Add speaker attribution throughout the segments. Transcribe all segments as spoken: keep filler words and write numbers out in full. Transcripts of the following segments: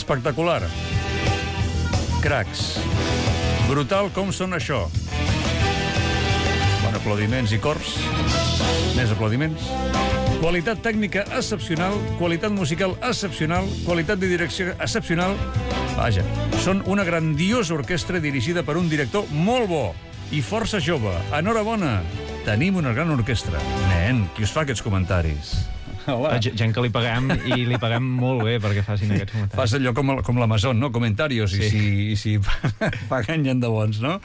Speaker 1: Espectacular. Cracs. Brutal com són això. Bon, aplaudiments i cors. Més aplaudiments. Qualitat tècnica excepcional, qualitat musical excepcional, qualitat de direcció excepcional. Vaja, són una grandiosa orquestra dirigida per un director molt bo i força jove. Enhorabona, tenim una gran orquestra. Nen, qui us fa aquests comentaris?
Speaker 2: Hola. Gent que li paguem i li paguem molt bé perquè facin aquests comentaris.
Speaker 1: Fas allò com, com l'Amazon, no? Comentarios, sí. i si, i si paguen gent de bons, no?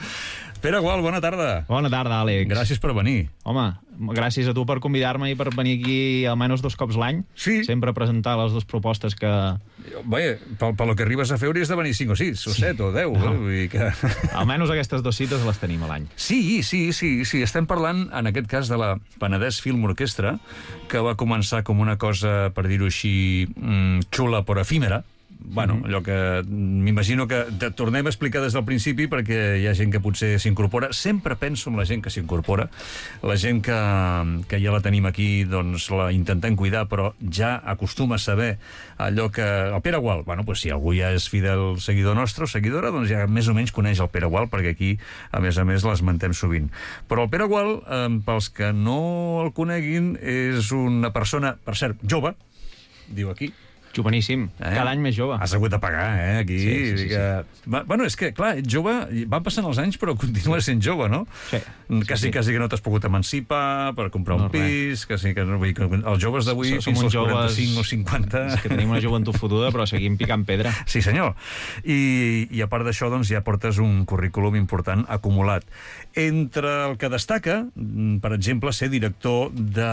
Speaker 1: Pere Gual, bona tarda.
Speaker 2: Bona tarda, Àlex.
Speaker 1: Gràcies per venir.
Speaker 2: Home, gràcies a tu per convidar-me i per venir aquí almenys dos cops l'any.
Speaker 1: Sí.
Speaker 2: Sempre a presentar les dues propostes que...
Speaker 1: Vaja, pel, pel que arribes a fer hauries de venir cinc o sis, o set o deu. No. Eh? Vull dir que...
Speaker 2: Almenys aquestes dues cites les tenim a l'any.
Speaker 1: Sí, sí, sí, sí. Estem parlant, en aquest cas, de la Penedès Film Orquestra, que va començar com una cosa, per dir-ho així, xula però efímera. Bueno, allò que m'imagino que tornem a explicar des del principi perquè hi ha gent que potser s'incorpora. Sempre penso en la gent que s'incorpora, la gent que, que ja la tenim aquí, doncs la intentem cuidar, però ja acostuma a saber allò que... El Pere Gual, bueno, doncs si algú ja és fidel seguidor nostre o seguidora, doncs ja més o menys coneix el Pere Gual, perquè aquí, a més a més, l'esmentem sovint. Però el Pere Gual, eh, pels que no el coneguin, és una persona, per cert, jove, diu aquí,
Speaker 2: joveníssim, eh? Cada any més jove.
Speaker 1: Has hagut de pagar, eh, aquí.
Speaker 2: Sí, sí, sí,
Speaker 1: sí. Va, bueno, és que, clar, ets jove, van passant els anys, però continues sent jove, no?
Speaker 2: Sí.
Speaker 1: Quasi, sí, sí. quasi que no t'has pogut emancipar per comprar no, un pis, quasi que no... Vull dir, els joves d'avui, fins als quaranta-cinc o cinquanta...
Speaker 2: És que tenim una joventut fotuda, però seguim picant pedra.
Speaker 1: Sí, senyor. I, i a part d'això, doncs, ja portes un currículum important acumulat. Entre el que destaca, per exemple, ser director de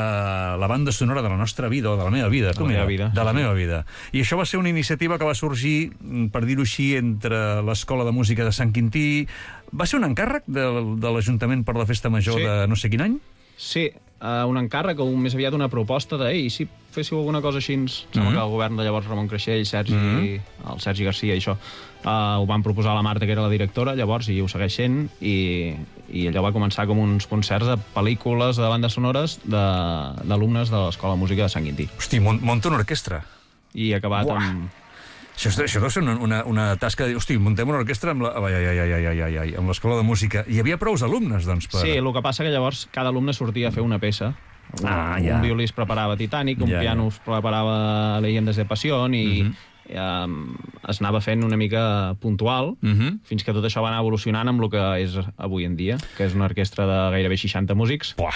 Speaker 1: la banda sonora de la nostra vida, o de la meva vida.
Speaker 2: De la meva vida.
Speaker 1: De la meva vida. I això va ser una iniciativa que va sorgir, per dir-ho així, entre l'Escola de Música de Sant Quintí. Va ser un encàrrec de, de l'Ajuntament per la Festa Major sí. de no sé quin any?
Speaker 2: Sí, uh, un encàrrec o més aviat una proposta de ei, si féssiu alguna cosa així, mm -hmm. sembla que el govern de llavors Ramon Creixell, Sergi, mm -hmm. el Sergi Garcia i això, uh, ho van proposar a la Marta, que era la directora, llavors, i ho segueix sent, i, i allò va començar com uns concerts de pel·lícules, de bandes sonores d'alumnes de, de l'Escola de Música de Sant Quintí.
Speaker 1: Hosti, munta una orquestra.
Speaker 2: I acabat
Speaker 1: Uah.
Speaker 2: amb...
Speaker 1: Això, això deu ser una, una, una tasca de dir, hosti, muntem una orquestra amb l'Escola de Música. Hi havia prous alumnes, doncs, per...
Speaker 2: Sí, el que passa que llavors cada alumne sortia a fer una peça.
Speaker 1: Ah,
Speaker 2: un,
Speaker 1: ja.
Speaker 2: un violí es preparava Titanic, un
Speaker 1: ja,
Speaker 2: piano es preparava Leyendas de Pasión, i uh -huh. um, es anava fent una mica puntual, uh -huh. fins que tot això va anar evolucionant amb el que és avui en dia, que és una orquestra de gairebé seixanta músics.
Speaker 1: Buah.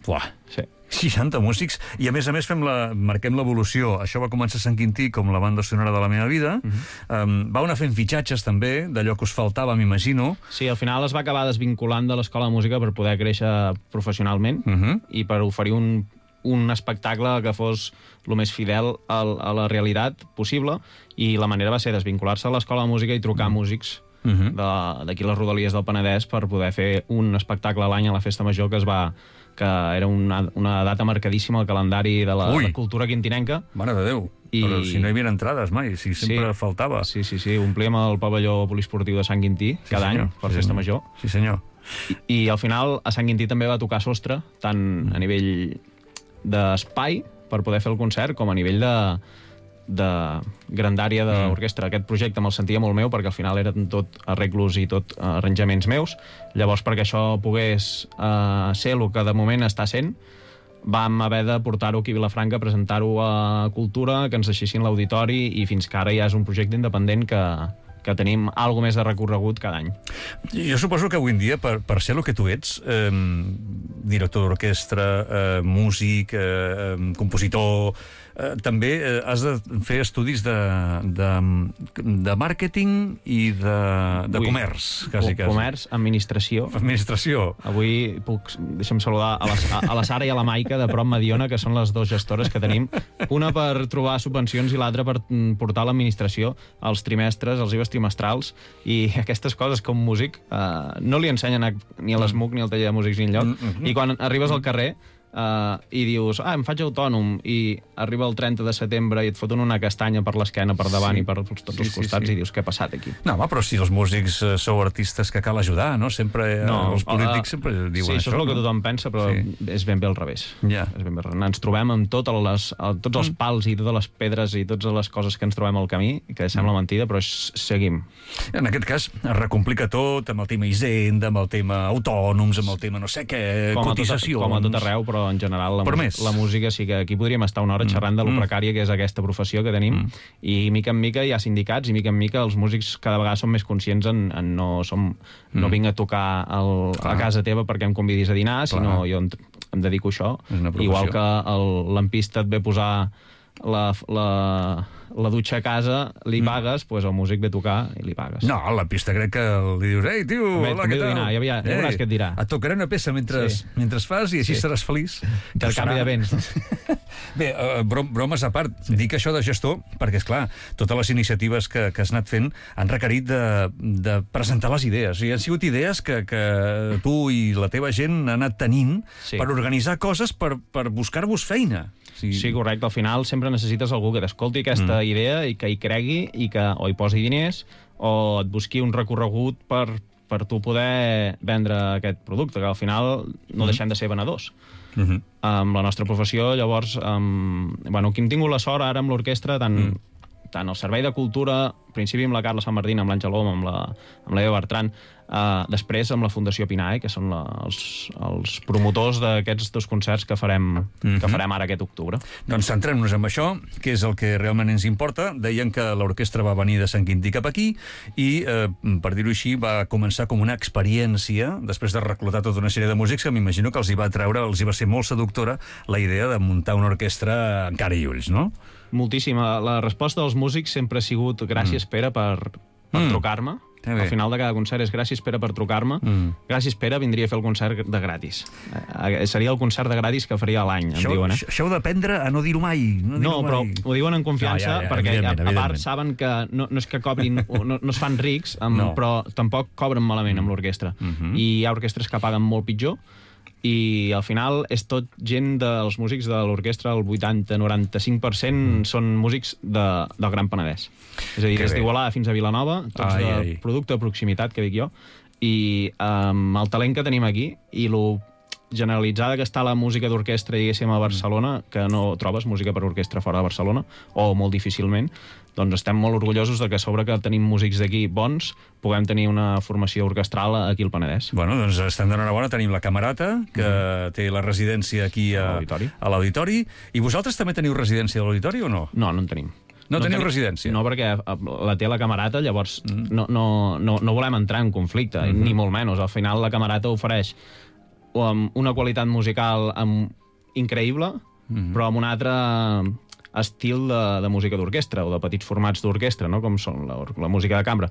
Speaker 1: Buah.
Speaker 2: Sí.
Speaker 1: seixanta músics, i a més a més fem la, marquem l'evolució. Això va començar a Sant Quintí com la banda sonora de la meva vida. Uh -huh. um, va anar fent fitxatges també, d'allò que us faltava, m'imagino.
Speaker 2: Sí, al final es va acabar desvinculant de l'Escola de Música per poder créixer professionalment uh -huh. i per oferir un, un espectacle que fos el més fidel a, a la realitat possible, i la manera va ser desvincular-se a l'Escola de Música i trucar uh -huh. músics uh -huh. d'aquí les rodalies del Penedès per poder fer un espectacle a l'any a la Festa Major, que es va... que era una, una data marcadíssima al calendari de la, la cultura quintinenca.
Speaker 1: Mare de Déu, I... però si no hi havia entrades mai, si sempre
Speaker 2: sí,
Speaker 1: faltava.
Speaker 2: Sí, sí, sí, omplíem el pavelló poliesportiu de Sant Quintí sí, cada senyor. any per sí, Festa Major.
Speaker 1: Sí, senyor.
Speaker 2: I, I al final a Sant Quintí també va tocar sostre, tant a nivell d'espai per poder fer el concert, com a nivell de... de grandària de l'orquestra. Aquest projecte me'l sentia molt meu perquè al final eren tot arreglos i tot arranjaments meus. Llavors, perquè això pogués uh, ser el que de moment està sent, vam haver de portar-ho aquí a Vilafranca, presentar-ho a Cultura, que ens deixessin l'auditori, i fins que ara ja és un projecte independent que, que tenim alguna més de recorregut cada any.
Speaker 1: Jo suposo que avui en dia, per, per ser el que tu ets, eh, director d'orquestra, eh, músic, eh, compositor, eh, també eh, has de fer estudis de, de, de màrqueting i de, de Ui, comerç, quasi, quasi.
Speaker 2: Comerç, administració.
Speaker 1: Administració.
Speaker 2: Avui puc, deixa'm saludar a la, a la Sara i a la Maica de Prop Mediona, que són les dues gestores que tenim, una per trobar subvencions i l'altra per portar l'administració als trimestres, als I V As trimestrals, i aquestes coses com músic eh, no li ensenyen a, ni a l'S M U C ni al taller de músics ni enlloc, mm -hmm. i quan arribes al carrer Uh, i dius, ah, em faig autònom, i arriba el trenta de setembre i et foten una castanya per l'esquena, per davant sí. i per tots sí, els costats, sí, sí. i dius, què ha passat aquí?
Speaker 1: No, home, però si els músics uh, sou artistes que cal ajudar, no? Sempre, no, uh, els polítics uh, sempre diuen
Speaker 2: sí,
Speaker 1: això. Sí,
Speaker 2: això és el
Speaker 1: no?
Speaker 2: que tothom pensa, però sí. és ben bé al revés.
Speaker 1: Yeah.
Speaker 2: És ben bé. Ens trobem amb totes les, tots els pals i totes les pedres i totes les coses que ens trobem al camí, que sembla mm. mentida, però seguim.
Speaker 1: En aquest cas, es recomplica tot amb el tema Hisenda, amb el tema autònoms, amb el tema no sé què, com cotitzacions...
Speaker 2: Com a tot arreu, però en general la, la música sí que aquí podríem estar una hora xerrant mm. de lo mm. precària que és aquesta professió que tenim, mm. i mica en mica hi ha sindicats, i mica en mica els músics cada vegada són més conscients en, en no, som, mm. no vinc a tocar el, a casa teva perquè em convidis a dinar, Clar. sinó jo em, em dedico a això. Igual que el lampista et ve posar la... la la dutxa a casa, li pagues, doncs pues el músic ve a tocar i li pagues.
Speaker 1: No, la pista crec que li dius, ei, tio,
Speaker 2: Bé,
Speaker 1: hola, què tal?
Speaker 2: Dinar, ja, ja, ja veuràs què et dirà.
Speaker 1: Et tocaré una peça mentre, sí. mentre fas i així sí. seràs feliç.
Speaker 2: Que el canvi de béns.
Speaker 1: Bé, uh, brom, bromes a part, sí. dic això de gestor perquè, esclar, totes les iniciatives que, que has anat fent han requerit de, de presentar les idees. I han sigut idees que, que tu i la teva gent han anat tenint sí. per organitzar coses, per, per buscar-vos feina.
Speaker 2: Sí. sí, correcte. Al final sempre necessites algú que t'escolti aquesta mm. idea i que hi cregui i que o hi posi diners o et busqui un recorregut per, per tu poder vendre aquest producte, que al final no mm. deixem de ser venedors. Mm-hmm. Amb la nostra professió, llavors, um, bueno, aquí hem tingut la sort ara amb l'orquestra, tant, mm. tant el Servei de Cultura, al principi amb la Carla Sant Martín, amb l'Àngel Om, amb la, amb l'Eva Bertran, uh, després amb la Fundació Pinae, que són la, els, els promotors d'aquests dos concerts que farem, mm-hmm. que farem ara aquest octubre.
Speaker 1: Doncs centrem-nos en això, que és el que realment ens importa. Deien que l'orquestra va venir de Sant Quintí cap aquí i, eh, per dir-ho així, va començar com una experiència, després de reclutar tota una sèrie de músics, que m'imagino que els hi va treure, els hi va ser molt seductora la idea de muntar una orquestra en cara i ulls, no?
Speaker 2: Moltíssima. La resposta dels músics sempre ha sigut gràcies, mm. Pere, per, per mm. trucar-me. Al final de cada concert és gràcies, Pere, per trucar-me. Mm. Gràcies, Pere, vindria a fer el concert de gratis. Eh, seria el concert de gratis que faria a l'any, em diuen. Eh?
Speaker 1: Això heu d'aprendre a no dir-ho mai. No, dir
Speaker 2: no però mai. Ho diuen en confiança, no, ja, ja, perquè a, a part saben que no, no és que cobrin, no, no es fan rics, amb, no. però tampoc cobren malament amb l'orquestra. Mm-hmm. I hi ha orquestres que paguen molt pitjor, i al final és tot gent dels músics de l'orquestra, el vuitanta noranta-cinc per cent mm. són músics de, del Gran Penedès. És a dir, que des d'Igualada fins a Vilanova, tots ai, de ai. producte de proximitat, que dic jo, i amb um, el talent que tenim aquí i lo generalitzada que està la música d'orquestra, diguéssim, a Barcelona, que no trobes música per orquestra fora de Barcelona, o molt difícilment, doncs estem molt orgullosos de que a sobre que tenim músics d'aquí bons, puguem tenir una formació orquestral aquí al Penedès.
Speaker 1: Bueno, doncs estem d'enhorabona, tenim la Camerata, que mm. té la residència aquí a, a l'Auditori. I vosaltres també teniu residència a l'Auditori o no?
Speaker 2: No, no en tenim.
Speaker 1: No, no teniu tenim, residència?
Speaker 2: No, perquè la té la Camerata, llavors mm. no, no, no, no volem entrar en conflicte, mm-hmm. ni molt menys. Al final la Camerata ofereix una qualitat musical increïble, mm-hmm. però amb un altre estil de, de música d'orquestra o de petits formats d'orquestra, no? Com són la, la música de cambra.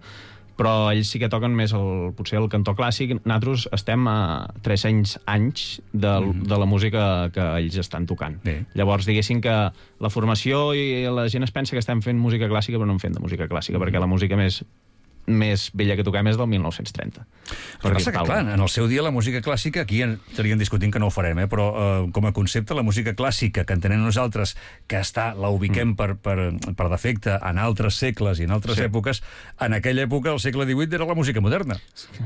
Speaker 2: Però ells sí que toquen més el, potser el cantó clàssic. Nosaltres estem a tres-cents anys de, mm-hmm. de la música que ells estan tocant. Bé. Llavors, diguéssim que la formació i la gent es pensa que estem fent música clàssica, però no en fem de música clàssica, mm-hmm. perquè la música més més vella que toquem és del mil nou-cents trenta.
Speaker 1: El que passa que, clar, en el seu dia la música clàssica, aquí estaríem discutint que no ho farem, eh? però eh, com a concepte, la música clàssica que entenem nosaltres, que està, la ubiquem mm. per, per, per defecte en altres segles i en altres sí. èpoques, en aquella època, al segle divuit, era la música moderna.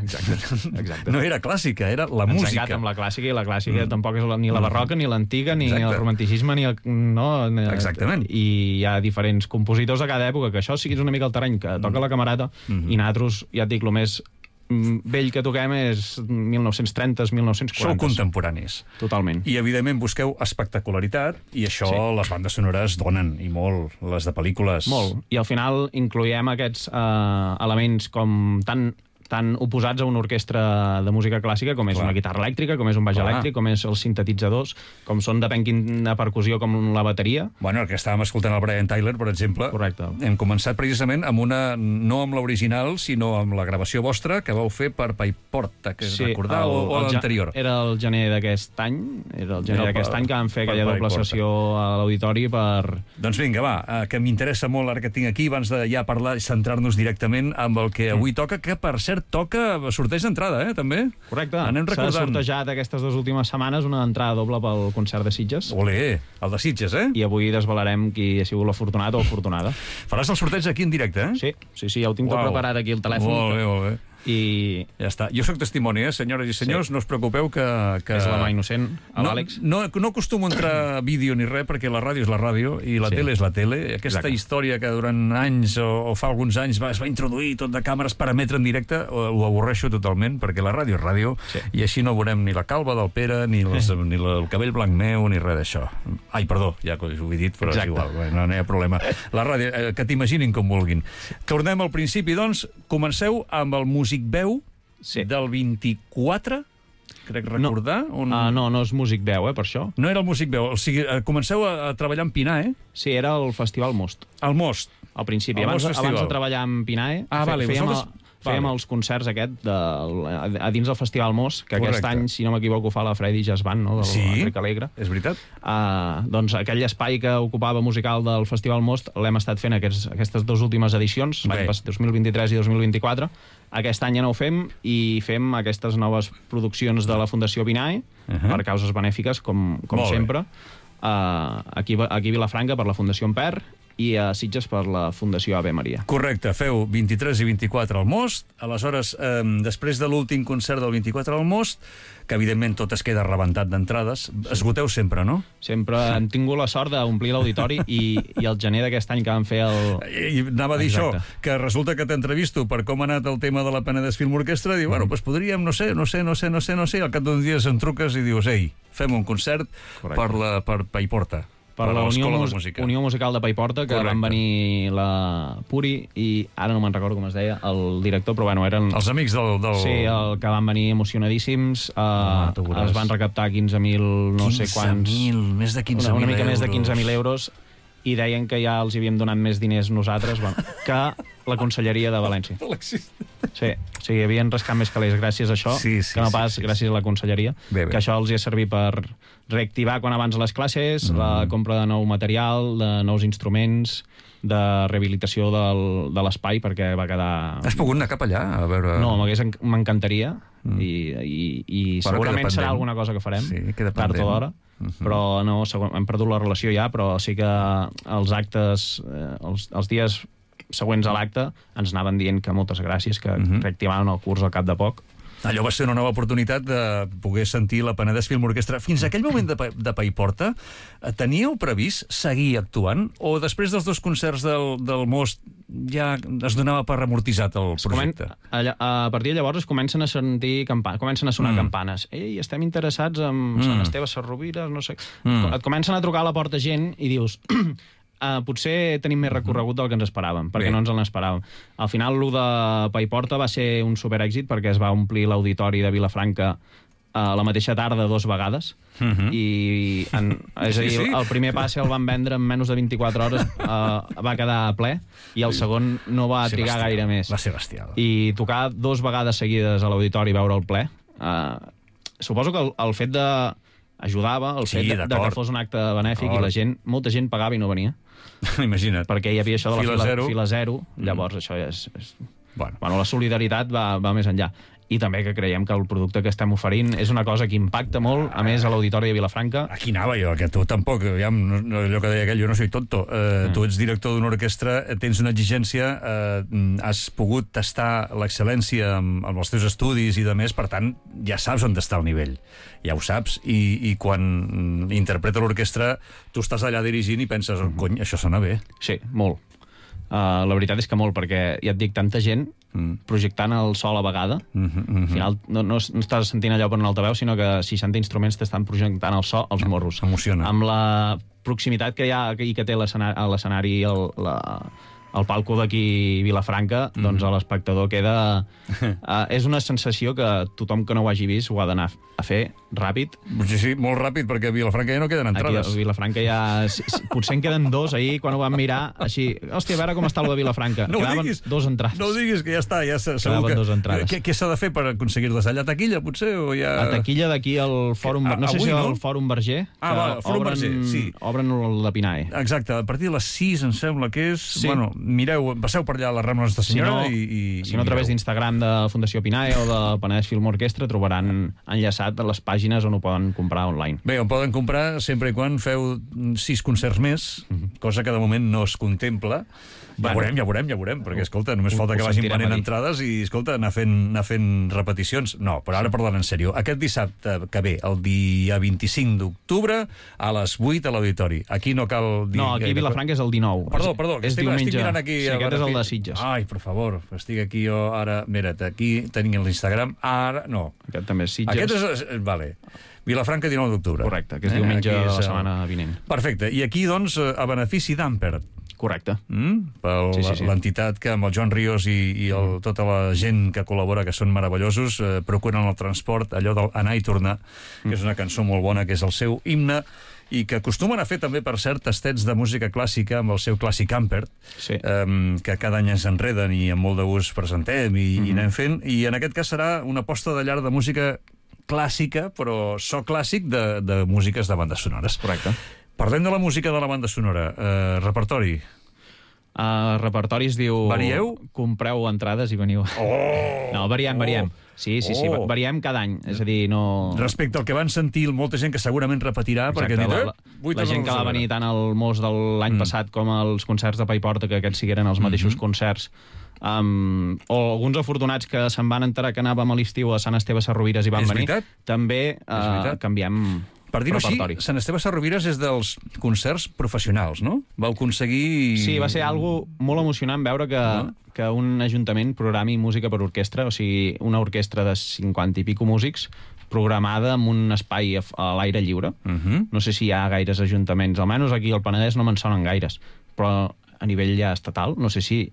Speaker 2: Exacte. Exacte.
Speaker 1: No era clàssica, era la
Speaker 2: Ens
Speaker 1: música.
Speaker 2: Ens amb la clàssica, i la clàssica mm. tampoc és la, ni la barroca, ni l'antiga, ni Exacte. el romanticisme, ni el... No, ni,
Speaker 1: Exactament.
Speaker 2: I hi ha diferents compositors de cada època, que això sí que és una mica el terreny, que toca la Camerata, mm. i nosaltres, ja et dic, el més vell que toquem és mil nou-cents trenta, mil nou-cents quaranta.
Speaker 1: Sou contemporanis.
Speaker 2: Totalment.
Speaker 1: I, evidentment, busqueu espectacularitat, i això sí. les bandes sonores donen, i molt, les de pel·lícules.
Speaker 2: Molt. I al final incloïm aquests eh, elements com tan tan oposats a una orquestra de música clàssica, com és Clar. una guitarra elèctrica, com és un baix Clar. elèctric, com és els sintetitzadors, com són depèn quina percussió, com la bateria.
Speaker 1: Bueno, el que estàvem escoltant el Brian Tyler, per exemple,
Speaker 2: Correcte.
Speaker 1: hem començat precisament amb una, no amb l'original, sinó amb la gravació vostra que vau fer per Paiporta, que és
Speaker 2: sí,
Speaker 1: recordar,
Speaker 2: el,
Speaker 1: o, o l'anterior?
Speaker 2: Era el gener d'aquest any, era el gener d'aquest any que vam fer aquella doble sessió a l'auditori per...
Speaker 1: Doncs vinga, va, que m'interessa molt ara que tinc aquí, abans de ja parlar i centrar-nos directament amb el que avui mm. toca, que per cert concert toca sorteig d'entrada, eh, també?
Speaker 2: Correcte.
Speaker 1: Anem recordant.
Speaker 2: S'ha sortejat aquestes dues últimes setmanes una entrada doble pel concert de Sitges.
Speaker 1: Olé, el de Sitges, eh?
Speaker 2: I avui desvelarem qui ha sigut l'afortunat o afortunada.
Speaker 1: Faràs el sorteig aquí en directe, eh?
Speaker 2: Sí, sí, sí, ja ho tinc tot
Speaker 1: Uau.
Speaker 2: preparat aquí al telèfon.
Speaker 1: Molt bé, molt bé.
Speaker 2: I
Speaker 1: Ja està. Jo sóc testimoni, eh, senyores i senyors,
Speaker 2: Sí.
Speaker 1: no us preocupeu que... que...
Speaker 2: és la mà innocent, l'Àlex.
Speaker 1: No, no, no acostumo a entrar vídeo ni res, perquè la ràdio és la ràdio i la
Speaker 2: Sí.
Speaker 1: tele és la tele. Aquesta
Speaker 2: Exacte.
Speaker 1: història que durant anys o, o fa alguns anys va, es va introduir tot de càmeres per emetre en directe, ho, ho avorreixo totalment, perquè la ràdio és ràdio,
Speaker 2: Sí.
Speaker 1: i així no veurem ni la calva del Pere, ni, les, ni el cabell blanc meu, ni res d'això. Ai, perdó, ja ho he dit, però
Speaker 2: Exacte.
Speaker 1: és igual, bé, no, no hi ha problema. La ràdio, eh, que t'imaginin com vulguin. Tornem al principi, doncs, comenceu amb el Músic Veu,
Speaker 2: Sí.
Speaker 1: del vint-i-quatre, crec recordar.
Speaker 2: No.
Speaker 1: On...
Speaker 2: Uh, no, no és músic veu, eh, per això.
Speaker 1: No era el Músic Veu, o sigui, eh, comenceu a, a treballar en Pinae,
Speaker 2: Sí, era el Festival Most,
Speaker 1: al Most.
Speaker 2: al principi.
Speaker 1: El
Speaker 2: Abans,
Speaker 1: Most Festival.
Speaker 2: abans de treballar en Pinae,
Speaker 1: Ah, vale,
Speaker 2: fèiem,
Speaker 1: vosaltres-
Speaker 2: fèiem
Speaker 1: vale.
Speaker 2: els concerts aquest de, a, a dins del Festival Most, que
Speaker 1: Correcte.
Speaker 2: aquest any, si no m'equivoco, fa la Freddy Jazz Band, no?, del
Speaker 1: Sí.
Speaker 2: Enric Alegre.
Speaker 1: És veritat?
Speaker 2: Uh, doncs aquell espai que ocupava musical del Festival Most l'hem estat fent aquests, aquestes dues últimes edicions,
Speaker 1: Bé.
Speaker 2: l'any passat, dos mil vint-i-tres i dos mil vint-i-quatre. Aquest any ja no ho fem i fem aquestes noves produccions de la Fundació Pinae
Speaker 1: Uh -huh.
Speaker 2: per causes benèfiques, com, com
Speaker 1: Molt bé.
Speaker 2: sempre. Uh, aquí, aquí a Vilafranca per la Fundació Amper i a Sitges per la Fundació Ave Maria.
Speaker 1: Correcte, feu vint-i-tres i vint-i-quatre al Most, aleshores, eh, després de l'últim concert del vint-i-quatre al Most, que evidentment tot es queda rebentat d'entrades, esgoteu sempre, no?
Speaker 2: Sempre hem tingut la sort d'omplir l'auditori i, i el gener d'aquest any que vam fer el...
Speaker 1: I anava a dir
Speaker 2: Exacte.
Speaker 1: això, que resulta que t'entrevisto per com ha anat el tema de la Penedès Film Orquestra, i diu, bueno, doncs podríem, no sé, no sé, no sé, no sé, no sé, i al cap d'uns dies em truques i dius, ei, fem un concert
Speaker 2: Correcte.
Speaker 1: per, la, per Paiporta.
Speaker 2: per la Unió,
Speaker 1: l'Escola de
Speaker 2: Mus
Speaker 1: Música.
Speaker 2: Unió Musical de Paiporta, que
Speaker 1: Correcte.
Speaker 2: van venir la Puri i ara no me'n recordo com es deia, el director, però bueno, eren...
Speaker 1: Els amics del... del...
Speaker 2: Sí, el que van venir emocionadíssims,
Speaker 1: Ah,
Speaker 2: uh,
Speaker 1: tu veuràs.
Speaker 2: es van recaptar quinze mil, no sé quants...
Speaker 1: quinze mil, més de quinze
Speaker 2: una,
Speaker 1: mil
Speaker 2: una mica
Speaker 1: euros.
Speaker 2: més de quinze mil euros, i deien que ja els havíem donat més diners nosaltres, bueno, que la Conselleria de València.
Speaker 1: Alexis.
Speaker 2: Sí, o sigui, havien rascat més calés gràcies a això,
Speaker 1: Sí, sí,
Speaker 2: que no
Speaker 1: sí,
Speaker 2: pas
Speaker 1: sí, sí.
Speaker 2: gràcies a la Conselleria,
Speaker 1: Bé, bé.
Speaker 2: que això els hi ha servit per reactivar quan abans les classes, mm. la compra de nou material, de nous instruments, de rehabilitació del, de l'espai, perquè va quedar...
Speaker 1: Has pogut anar cap allà a veure...
Speaker 2: No, m'hagués enc- m'encantaria, mm. i, i, i
Speaker 1: Però
Speaker 2: segurament
Speaker 1: queda
Speaker 2: serà
Speaker 1: pendent.
Speaker 2: alguna cosa que farem,
Speaker 1: Sí, queda
Speaker 2: tard
Speaker 1: pendent.
Speaker 2: o d'hora,
Speaker 1: Mhm.
Speaker 2: però no, segur, hem perdut la relació ja, però sí que els actes, eh, els, els dies següents a l'acte ens anaven dient que moltes gràcies, que
Speaker 1: Mhm.
Speaker 2: reactivaven el curs al cap de poc.
Speaker 1: Allò va ser una nova oportunitat de poder sentir la Penedès Film Orquestra. Fins a aquell moment de, Pa- de Paiporta, eh, teníeu previst seguir actuant? O després dels dos concerts del, del Most ja es donava per amortitzat el
Speaker 2: Es comen-
Speaker 1: projecte?
Speaker 2: allà, a partir de llavors es comencen a sentir campa comencen a sonar
Speaker 1: Mm.
Speaker 2: mm. campanes. Ei, estem interessats en
Speaker 1: Mm.
Speaker 2: mm. Sant Esteve Sarrovires, no sé...
Speaker 1: Mm.
Speaker 2: Et comencen a trucar a la porta gent i dius... Uh, potser tenim més recorregut del que ens esperàvem, perquè
Speaker 1: Bé.
Speaker 2: no ens en esperàvem. Al final, l'u de Paiporta va ser un superèxit perquè es va omplir l'auditori de Vilafranca a la mateixa tarda dos vegades.
Speaker 1: Mhm.
Speaker 2: I en, és a dir,
Speaker 1: Sí, sí.
Speaker 2: el primer passe el van vendre en menys de vint-i-quatre hores, uh, va quedar ple, i el segon no va
Speaker 1: Va ser
Speaker 2: trigar
Speaker 1: bestial.
Speaker 2: gaire més.
Speaker 1: Va ser bestial.
Speaker 2: I tocar dos vegades seguides a l'auditori i veure el ple, uh, suposo que el, el fet de ajudava, el
Speaker 1: Sí,
Speaker 2: fet de, de
Speaker 1: d'acord.
Speaker 2: que fos un acte benèfic,
Speaker 1: D'acord.
Speaker 2: i la gent, molta gent pagava i no venia,
Speaker 1: Imagina't.
Speaker 2: perquè hi havia això de la
Speaker 1: Fila
Speaker 2: fila,
Speaker 1: zero.
Speaker 2: fila zero, llavors això ja és... és...
Speaker 1: Bueno.
Speaker 2: Bueno, la solidaritat va, va més enllà. I també que creiem que el producte que estem oferint és una cosa que impacta molt, a més, a l'auditori de Vilafranca.
Speaker 1: Aquí anava jo, que tu tampoc, aviam, no, no, allò que deia aquell, jo no soy tonto. Uh, mm. Tu ets director d'una orquestra, eh, tens una exigència, uh, has pogut tastar l'excel·lència amb, amb els teus estudis i de més, per tant, ja saps on està el nivell. Ja ho saps. I, i quan mm, interpreta l'orquestra, tu estàs allà dirigint i penses, oh, cony, això sona bé.
Speaker 2: Sí, molt. Uh, la veritat és que molt, perquè ja et dic, tanta gent
Speaker 1: Mm.
Speaker 2: projectant el so a la vegada.
Speaker 1: Mm -hmm, mm -hmm.
Speaker 2: Al final no, no, no estàs sentint allò per un altaveu, sinó que seixanta instruments t'estan projectant el so als morros.
Speaker 1: Emociona.
Speaker 2: Amb la proximitat que hi ha i que té l'escenari, a l'escenari el, la, el palco d'aquí Vilafranca, mm. doncs l'espectador queda... Uh, és una sensació que tothom que no ho hagi vist ho ha d'anar a fer ràpid.
Speaker 1: Sí, sí, molt ràpid, perquè a Vilafranca ja no queden entrades.
Speaker 2: Aquí a Vilafranca ja... si- si- Potser en queden dos ahir, quan ho vam mirar, així... Hòstia, a veure com està el de Vilafranca.
Speaker 1: No ho
Speaker 2: Quedaven
Speaker 1: diguis.
Speaker 2: dos entrades.
Speaker 1: No ho diguis, que ja està, ja se- segur
Speaker 2: Quedaven
Speaker 1: que...
Speaker 2: dos entrades.
Speaker 1: Què, què s'ha de fer per aconseguir-les? Allà a taquilla, potser? O ja...
Speaker 2: A taquilla d'aquí al Fòrum...
Speaker 1: Que- a-
Speaker 2: no sé
Speaker 1: avui,
Speaker 2: si
Speaker 1: no?
Speaker 2: al Fòrum Verger.
Speaker 1: Ah,
Speaker 2: que
Speaker 1: va, el Fòrum
Speaker 2: obren,
Speaker 1: Verger, sí.
Speaker 2: Obren el de Pinae.
Speaker 1: Exacte, a partir de les sis, em sembla que és...
Speaker 2: Sí.
Speaker 1: Bueno, mireu, passeu per allà a la Rambla Nostra Senyora
Speaker 2: si no,
Speaker 1: i, i...
Speaker 2: Si no, a través d'Instagram de Fundació Pinae o de Penedès Film Orquestra trobaran enllaçat les pàgines on ho poden comprar online.
Speaker 1: Bé, on poden comprar sempre i quan feu sis concerts més, mm-hmm. cosa que de moment no es contempla. Ja veurem, ja veurem, ja veurem, perquè, escolta, només falta que vagin venent entrades i, escolta, anar fent, anar fent repeticions. No, però ara parlant en sèrio. Aquest dissabte que ve, el dia vint-i-cinc d'octubre, a les vuit a l'Auditori. Aquí no cal dir...
Speaker 2: No, aquí a Vilafranca és el dinou.
Speaker 1: Perdó, perdó, que
Speaker 2: és
Speaker 1: estic,
Speaker 2: diumenge.
Speaker 1: estic mirant aquí...
Speaker 2: Sí, aquest és el de Sitges.
Speaker 1: Ai, per favor, estic aquí jo ara... Mira't, aquí tenim l'Instagram, ara... No.
Speaker 2: Aquest també és Sitges.
Speaker 1: Aquest és... Vale. Vilafranca, dinou d'octubre.
Speaker 2: Correcte, que és diumenge de la setmana vinent.
Speaker 1: Perfecte. I aquí, doncs, a benefici d'Ampert.
Speaker 2: Correcte.
Speaker 1: Mm? Per sí, sí, sí. l'entitat que amb el Joan Ríos i, i el, mm. tota la gent que col·labora, que són meravellosos, eh, procuren el transport, allò del anar i tornar, mm. que és una cançó molt bona, que és el seu himne, i que acostumen a fer també, per cert, tastets de música clàssica amb el seu clàssic Ampert,
Speaker 2: sí.
Speaker 1: eh, que cada any ens enreden i amb molt de gust presentem i, mm-hmm. i anem fent, i en aquest cas serà una aposta de llar de música clàssica, però so clàssic de, de músiques de bandes sonores.
Speaker 2: Correcte.
Speaker 1: Parlem de la música de la banda sonora. Uh, repertori.
Speaker 2: Uh, repertori es diu...
Speaker 1: Varieu?
Speaker 2: Compreu entrades i veniu.
Speaker 1: Oh!
Speaker 2: No, variem, variem. Sí, sí, sí,
Speaker 1: oh.
Speaker 2: variem cada any. És a dir, no...
Speaker 1: Respecte al que van sentir molta gent que segurament repetirà,
Speaker 2: exacte,
Speaker 1: perquè...
Speaker 2: La, la, la gent que va venir tant al Mos de l'any mm. passat com als concerts de Paiporta, que aquests sigueren els mateixos mm-hmm. concerts, um, o alguns afortunats que se'n van enterar que anàvem a l'estiu a Sant Esteve Sarrovires i van
Speaker 1: és
Speaker 2: venir,
Speaker 1: veritat?
Speaker 2: també uh, canviem...
Speaker 1: Per dir-ho així, Sant Esteve Sarrovires és dels concerts professionals, no? Vau aconseguir...
Speaker 2: Sí, va ser algo molt emocionant veure que, no? que un ajuntament programi música per orquestra, o sigui, una orquestra de cinquanta i pico músics programada en un espai a, a l'aire lliure.
Speaker 1: Uh-huh.
Speaker 2: No sé si hi ha gaires ajuntaments, almenys aquí al Penedès no me'n sonen gaires, però a nivell ja estatal, no sé si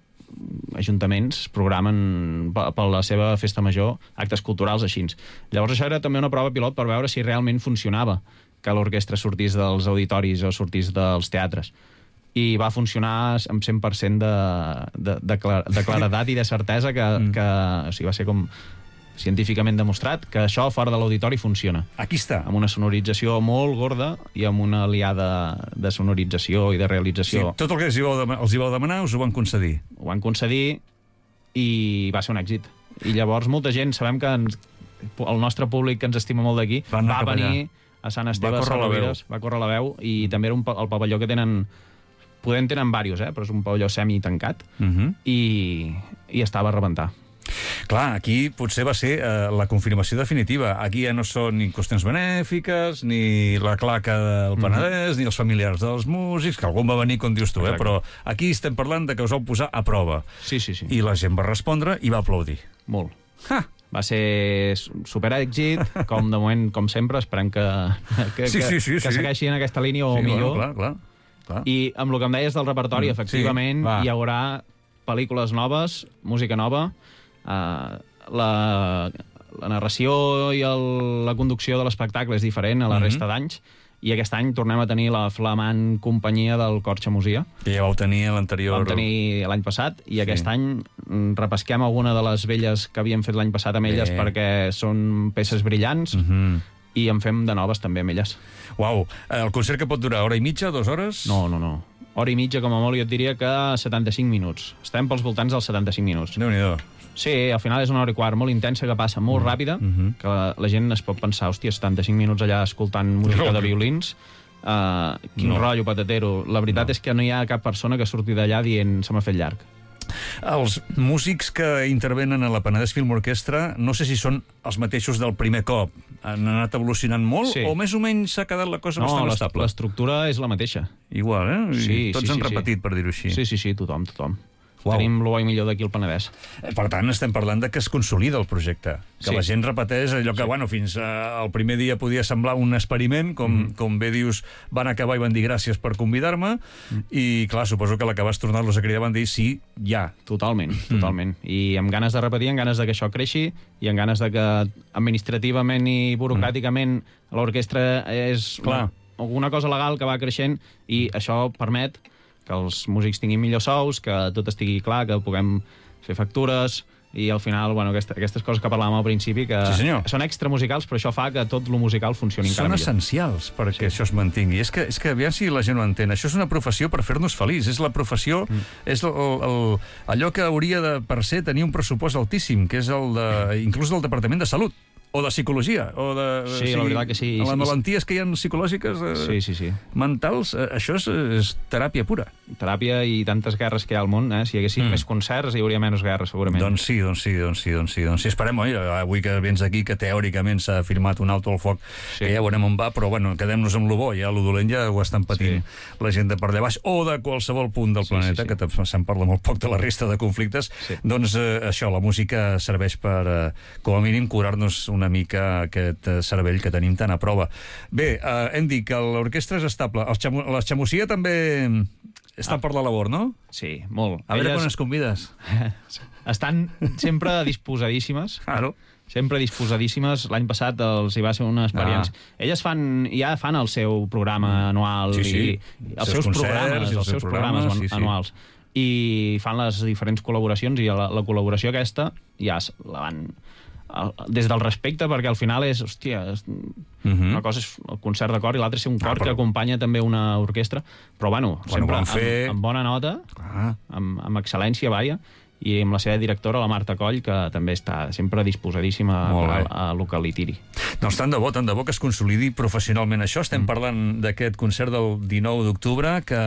Speaker 2: ajuntaments programen per la seva festa major actes culturals així. Llavors això era també una prova pilot per veure si realment funcionava que l'orquestra sortís dels auditoris o sortís dels teatres. I va funcionar amb cent per cent de, de, de, clar, de claredat i de certesa que, mm. que o sigui, va ser com científicament demostrat que això fora de l'auditori funciona.
Speaker 1: Aquí està.
Speaker 2: Amb una sonorització molt gorda i amb una aliada de sonorització i de realització.
Speaker 1: Sí, tot el que els hi, vau demanar, els hi vau demanar us ho van concedir.
Speaker 2: Ho van concedir i va ser un èxit. I llavors molta gent, sabem que ens, el nostre públic que ens estima molt d'aquí, va venir a Sant Esteve a Sarrovires, va córrer la veu, i també era un, el pavelló que tenen, podem tenen diversos, eh, però és un pavelló semi-tancat,
Speaker 1: uh-huh.
Speaker 2: i, i estava a rebentar.
Speaker 1: Clar, aquí potser va ser eh, la confirmació definitiva. Aquí ja no són ni qüestions benèfiques, ni la claca del Penedès, mm-hmm. ni els familiars dels músics, que algun va venir, com dius tu, eh? Però aquí estem parlant de que us vau posar a prova.
Speaker 2: Sí, sí, sí.
Speaker 1: I la gent va respondre i va aplaudir.
Speaker 2: Molt.
Speaker 1: Ha!
Speaker 2: Va ser superèxit, com de moment, com sempre, esperem que, que,
Speaker 1: sí, sí, sí,
Speaker 2: que, que
Speaker 1: sí.
Speaker 2: segueixi en aquesta línia o
Speaker 1: sí,
Speaker 2: millor.
Speaker 1: Bueno, clar, clar, clar.
Speaker 2: I amb el que em deies del repertori, mm, efectivament, sí, hi haurà pel·lícules noves, música nova, Uh, la, la narració i el, la conducció de l'espectacle és diferent a la mm-hmm. resta d'anys, i aquest any tornem a tenir la flamant companyia del Cor Xamosia.
Speaker 1: Que ja vau tenir l'anterior...
Speaker 2: Vam tenir l'any passat, i sí. aquest any repesquem alguna de les velles que havíem fet l'any passat amb elles, Bé. perquè són peces brillants, mm-hmm. i en fem de noves també amb elles.
Speaker 1: Uau, el concert que pot durar hora i mitja, dues hores?
Speaker 2: No, no, no. Hora i mitja, com a molt, jo et diria que setanta-cinc minuts. Estem pels voltants dels setanta-cinc minuts.
Speaker 1: Déu-n'hi-do.
Speaker 2: Sí, al final és una hora i quart molt intensa, que passa molt mm. ràpida, mm-hmm. que la, la gent es pot pensar, hòstia, setanta-cinc minuts allà escoltant música no. de violins, uh, quin no. rotllo patatero. La veritat no. és que no hi ha cap persona que surti d'allà dient se m'ha fet llarg.
Speaker 1: Els músics que intervenen a la Penedès Film Orquestra, no sé si són els mateixos del primer cop. Han anat evolucionant molt, sí. o més o menys s'ha quedat la cosa
Speaker 2: no,
Speaker 1: bastant estable?
Speaker 2: No, l'estructura és la mateixa.
Speaker 1: Igual, eh?
Speaker 2: Sí,
Speaker 1: Tots
Speaker 2: sí,
Speaker 1: han
Speaker 2: sí,
Speaker 1: repetit,
Speaker 2: sí.
Speaker 1: per dir-ho així.
Speaker 2: Sí, sí, sí, tothom, tothom.
Speaker 1: Uau.
Speaker 2: Tenim el bo i millor d'aquí al Penedès.
Speaker 1: Per tant, estem parlant de que es consolida el projecte, que sí. la gent repeteix allò que, sí. bueno, fins al primer dia podia semblar un experiment, com, mm. com bé dius, van acabar i van dir gràcies per convidar-me, mm. i, clar, suposo que a la que vas tornar-los a cridar van dir sí, ja.
Speaker 2: Totalment, totalment. Mm. I amb ganes de repetir, amb ganes de que això creixi, i amb ganes de que administrativament i burocràticament mm. l'orquestra és
Speaker 1: clar.
Speaker 2: Una, alguna cosa legal que va creixent, i això permet que els músics tinguin millors sous, que tot estigui clar, que puguem fer factures, i al final, bueno, aquesta, aquestes coses que parlàvem al principi, que
Speaker 1: sí,
Speaker 2: són extramusicals, però això fa que tot lo musical funcioni encara millor.
Speaker 1: Són essencials perquè sí. això es mantingui. És que, és que aviam si la gent ho entén. Això és una professió per fer-nos feliç. És la professió, mm. és el, el, allò que hauria de, per ser, tenir un pressupost altíssim, que és el de, inclús del Departament de Salut. O de psicologia, o de...
Speaker 2: Sí, o sigui, la veritat que sí.
Speaker 1: Les malalties que hi ha psicològiques, eh,
Speaker 2: sí, sí, sí.
Speaker 1: mentals, eh, això és, és teràpia pura.
Speaker 2: Teràpia i tantes guerres que hi ha al món, eh? Si hi haguessin mm. més concerts hi hauria menys guerres, segurament.
Speaker 1: Doncs sí, doncs sí, doncs sí, doncs sí. Doncs sí. Esperem, oi, avui que vens aquí, que teòricament s'ha firmat un alto al foc, sí. que ja veurem on va, però bueno, quedem-nos amb lo bo, ja lo dolent ja ho estan patint sí. la gent de per allà baix, o de qualsevol punt del sí, planeta, sí, sí. que se'n parla molt poc de la resta de conflictes, sí. doncs eh, això, la música serveix per, eh, com a mínim, curar-nos una mica aquest cervell que tenim tan a prova. Bé, eh, hem dit que l'orquestra és estable. Els xamo, les Xamosia també estan ah. per la labor, no?
Speaker 2: Sí, molt.
Speaker 1: A veure Elles... quan es convides.
Speaker 2: Estan sempre disposadíssimes.
Speaker 1: Claro.
Speaker 2: Sempre disposadíssimes. L'any passat els hi va ser una experiència. Ah. Elles fan, ja fan el seu programa anual
Speaker 1: sí, sí.
Speaker 2: i els seus, seus programes, els, els seus programes, programes sí, anuals. Sí. I fan les diferents col·laboracions i la, la col·laboració aquesta ja la van... des del respecte, perquè al final és, hòstia, és, uh -huh. una cosa és el concert de cor i l'altra és ser un cor ah, però... que acompanya també una orquestra, però bueno, bueno sempre fer... amb, amb bona nota, ah. amb, amb excel·lència, vaja, i amb la seva directora, la Marta Coll, que també està sempre disposadíssima a, a, a lo que li tiri.
Speaker 1: Doncs tant de bo, tant de bo que es consolidi professionalment això. Estem mm. parlant d'aquest concert del dinou d'octubre que